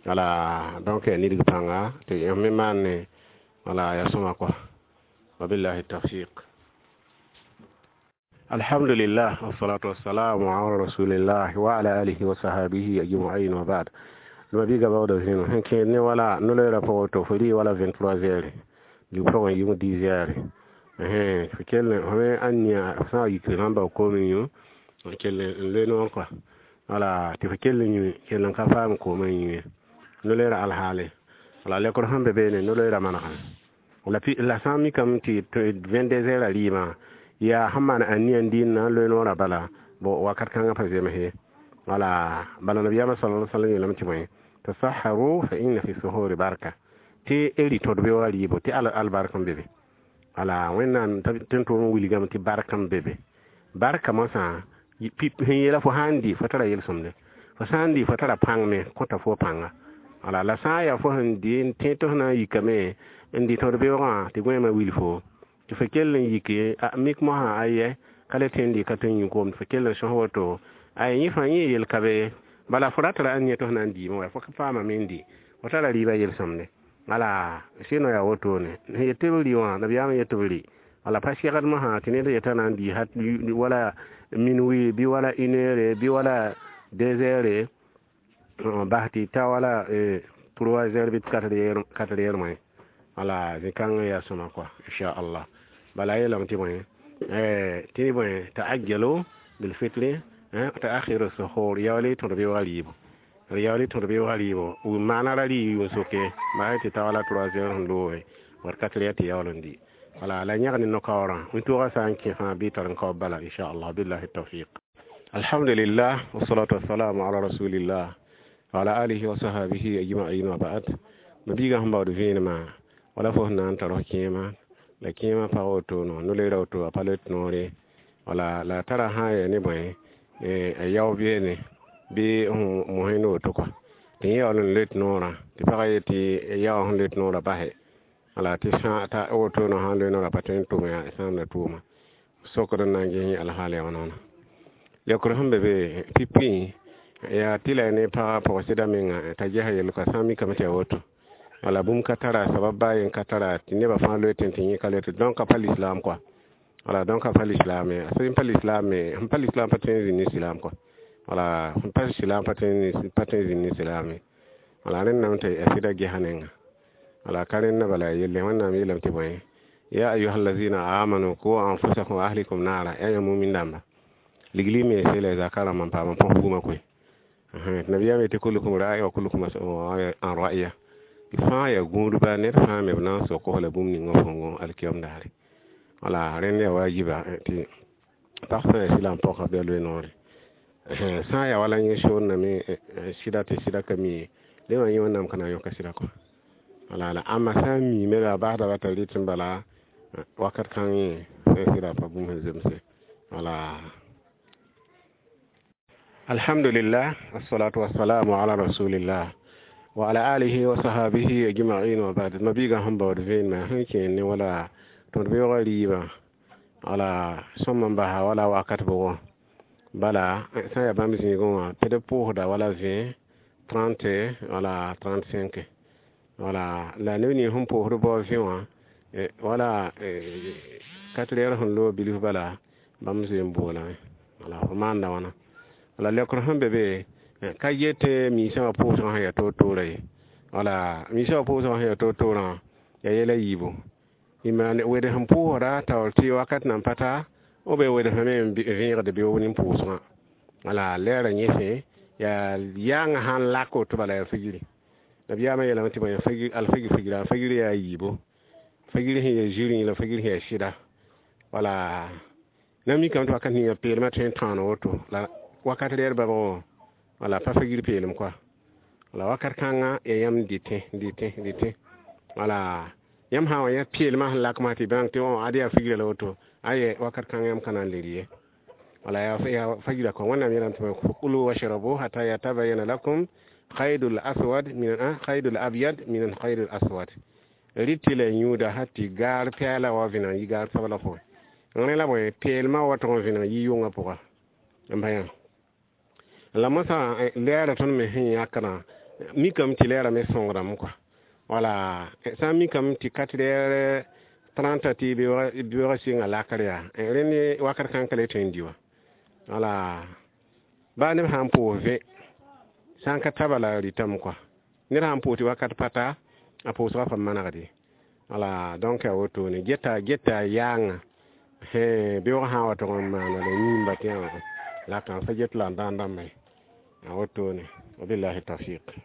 Wala donc yaa nidg pãnga tɩ yãmb me maan ne wala yaa sõma kɔa. Wabillahi tawfiq. Alhamdulillah, wassalatu wassalamu ala rasulillah wa ala alihi wa sahbihi ajma'in wa ba'd. Mabiiga baooda zĩnu sẽn kẽer ne wala no-loeerã pʋgẽ to fo rɩ wala 23 heures dig pʋgẽ yʋng 10 heures fo kell fo me ãn sã n yik sãn bao koom n yũ n kell n loe noor kɔa. Wala tɩ fo kell n yũ kell n ka faam koomã n yũ no-loeerã alhaale. Wala lekr sẽn be beene no-loeerã manegame la sã n mikame tɩ 22 heures a rɩɩmã yaa sẽn maan ãnia n dɩɩn na n loe noorã bala bo wakat kãngã pa zems ye. Wala bala nabiyaamã sala alaihi wasallam yeelame tɩ bõe tasaharu fa inna fi suhuri barka, tɩ rɩ tõd beoogã rɩɩbo tɩ albark n be be. Wala Wẽnnaam tɩ n tʋʋm n wilgame tɩ bark n be be. Barka mosã sẽn yeela fo sã n dɩ fo tara yel-sõmde, fo sã n dɩ fo tara pãng me kõta fo pãnga. Wala la sã n yaa fo sẽn dɩ n tẽ tɩ f na n yikame n dɩ tõd beoogã tɩ gõeemã wil fo tɩ fo kell n yike mik mosã ayɛ ka le tẽ n dɩ ka tõe n yũ koom tɩ fo kell n sõs woto ay yẽ fãa yẽ yel ka be bala fo ratara ãn yẽ tɩ f na n diime wa fo ka paamame n dɩ fo tara rɩɩbã yel-sõmde. Wala sɩno yaa wotone sẽn yet tɩ b rɩ wã nabiyaam yet tɩ b rɩ. Wala pa segd mosã tɩ ned yeta na n dɩ wala minuit bɩ wala une heure bɩ wala deux heures bas tɩ ta wala trois heures bɩ quatre heures moẽ. Wala zĩ-kãngã yaa sõma kɔa inchallah. Bala yeelame tɩ bõe tɩ bõe taajjalu bilfitri taakhiru suhur yaool tõd beoogã rɩɩbo, yaool tõd beoogã rɩɩbo maana ra rɩ yʋʋn soke bas tɩ ta wala 3 heures sẽn looge wat 4 heures tɩ yaool n dɩ. Wala la yãg ne no-kaoorã wĩntoogã sã n kẽ fãa bɩ tar n kaob bala inchallah, billahi tawfiq. Alhamdulillah, wassalatu wassalamu ala rasulillah wa ala alihi wa sahbihi ajma'in wa ba'd. Mabiiga sẽn baood vẽenemã wala fo sẽn na n tar f kẽema la kẽemã pag woto no-loeerã woto a pa loe noore. Wala la tara sã n yaa ne bõe a yao beene bɩ mosẽnd woto kɔa tɩ yẽ yaool n loe noorã tɩ pagã yet tɩ yao sẽn loe noorã basɛ. Wala tɩ sã ta woto sã n loe noorã pa tõe n tʋm yaa sãamda tʋʋma sokd n na n ges yẽ alhaal yaa wãna. Lekr sẽn be be pipi yaa tɩ la ne pagã pʋg sɩda menga t'a gesa yel kɔa sã n mikame tɩ yaa woto. Wala bũmb ka tara sabab baa yen ka tara tɩ nebã fãa loe tẽn tɩ yẽ ka loe tɩ donc a pa lislaam kɔa. Wala donc a pa lislaam ye, a sẽn pa lislaam me, sẽn pa lislaam pa tõe n zĩnd ne silaam kɔa. Wala sẽn pa silaam pa tõe n zĩnd ne silaam ye. Wala rẽndame tɩ a sɩda gesa nenga. Wala ka rẽnda bala yelle. Wẽnnaam yeelame tɩ bõe: ya ayuha allazina amanu ku anfusakum wa ahlikum nara. Ya yã mumin dãmba, ligli me sela zaka rãmba n paam n põs bugmã koe. Tɩ nabiyaam yetɩ kullukum ra'i wa kullukum mas'ulun an ra'iya. Fãa yaa gũudba, ned fãa me b na n sok la bũmb ninga fõngo alkiyom daare. Wala rẽnd yaa wajiba tɩ pag sã n yaa sɩla n pɔka bɩ a loe noore. Sã n yaa wala yẽ soorname sɩda tɩ sɩda ka mi ye, le wã yẽ Wẽnnaam ka na n yõka sɩda kɔ. Wala la ãmba sã n miime la a basda t'a rɩt n bala wakat kãng yẽ sã sɩda pa bũmb sẽn zemse. Wala alhamdulillah, wassalatu wassalamu ala rasulillah wa ala alihi wa sahabihi ajma'in wa ba'd. Mabiigã sẽn baood vẽenemã sẽn kẽer ne wala tõd beoogã rɩɩbã, wala sõm n basa wala wakat bʋgɔ bala sã n yaa bãmb zĩigẽ wã tɩ d pʋʋsda wala 20, 30 wala 35. Wala la neb nins sẽn pʋʋsd bao vẽ wã wala 4 heures sẽn loog bilf bala bãmb zoe n boolame. Wala fo maanda wãna. Wala leokr sẽn be be ka yet miisã wã pʋʋsgã sẽn yaa toor-toorã ye. Wala miisã wã pʋʋsgã sẽn yaa toor-toorã yaa yɛla yiibu. Wed sẽn pʋʋsda taoor tɩ wakat nan pa ta b wedsame n vẽegd beoog nin-pʋʋsgã. Wala lɛɛrã yẽsẽ yaa yaangã sãn lak woto bala yaa figiri. Nabiyaamã yeelame tɩ bõe alfagr figra, fagr yaa yiibu, fagr sẽn yaa zirẽ la fagr sẽn yaa sɩda. Wala na mikame tɩ wakat ninga peelmã tõe n tãan woto la wakat reer babgo wala pa fagr peelem kɔa. Wala wakat kãngã yaa yãmb dɩtẽ dɩtẽ dɩtẽ. Wala yãmb sã n wa yã peelmã sẽn lakmã tɩ bãng tɩ ad yaa figrã la woto aye wakat kãngã yãmb ka na n le ye. Wala yaa fagra kɔ. Wẽnnaam yeelame tɩ kulu washrabu hata yatabayana lakum khaydul aswad min khaydul abyad min khaydul aswad. Rɩt tɩ la yũuda sã tɩ gaar pɛɛla wa vẽneg n yi gaar sabla pʋgẽ. Rẽ la bõe peelmã wa tʋg n vẽneg yi yʋngã pʋga n ba yã. La mosã lɛɛra tõnd me sẽn yãkdã mikame tɩ lɛɛra me sõngdame kɔa. Wala sã n mikame tɩ 4 heures 30 tɩ beoogã sɩnga lakr yaa rẽnd wakat kãng ka le tõe n dɩ wã. Wala baa neb sã n pʋʋs vẽ sã n ka ta bala rɩtame kɔa. Ned sã n pʋʋs tɩ wakat pa ta a pʋʋsgã pa manegd ye. Wala donc yaa wotone geta geta yaangã beoogã sã n wa tʋg n maana la yĩmba tɩ la kãn fa get la n dãan dãmba ye. A wotone wabillahi tawfiq.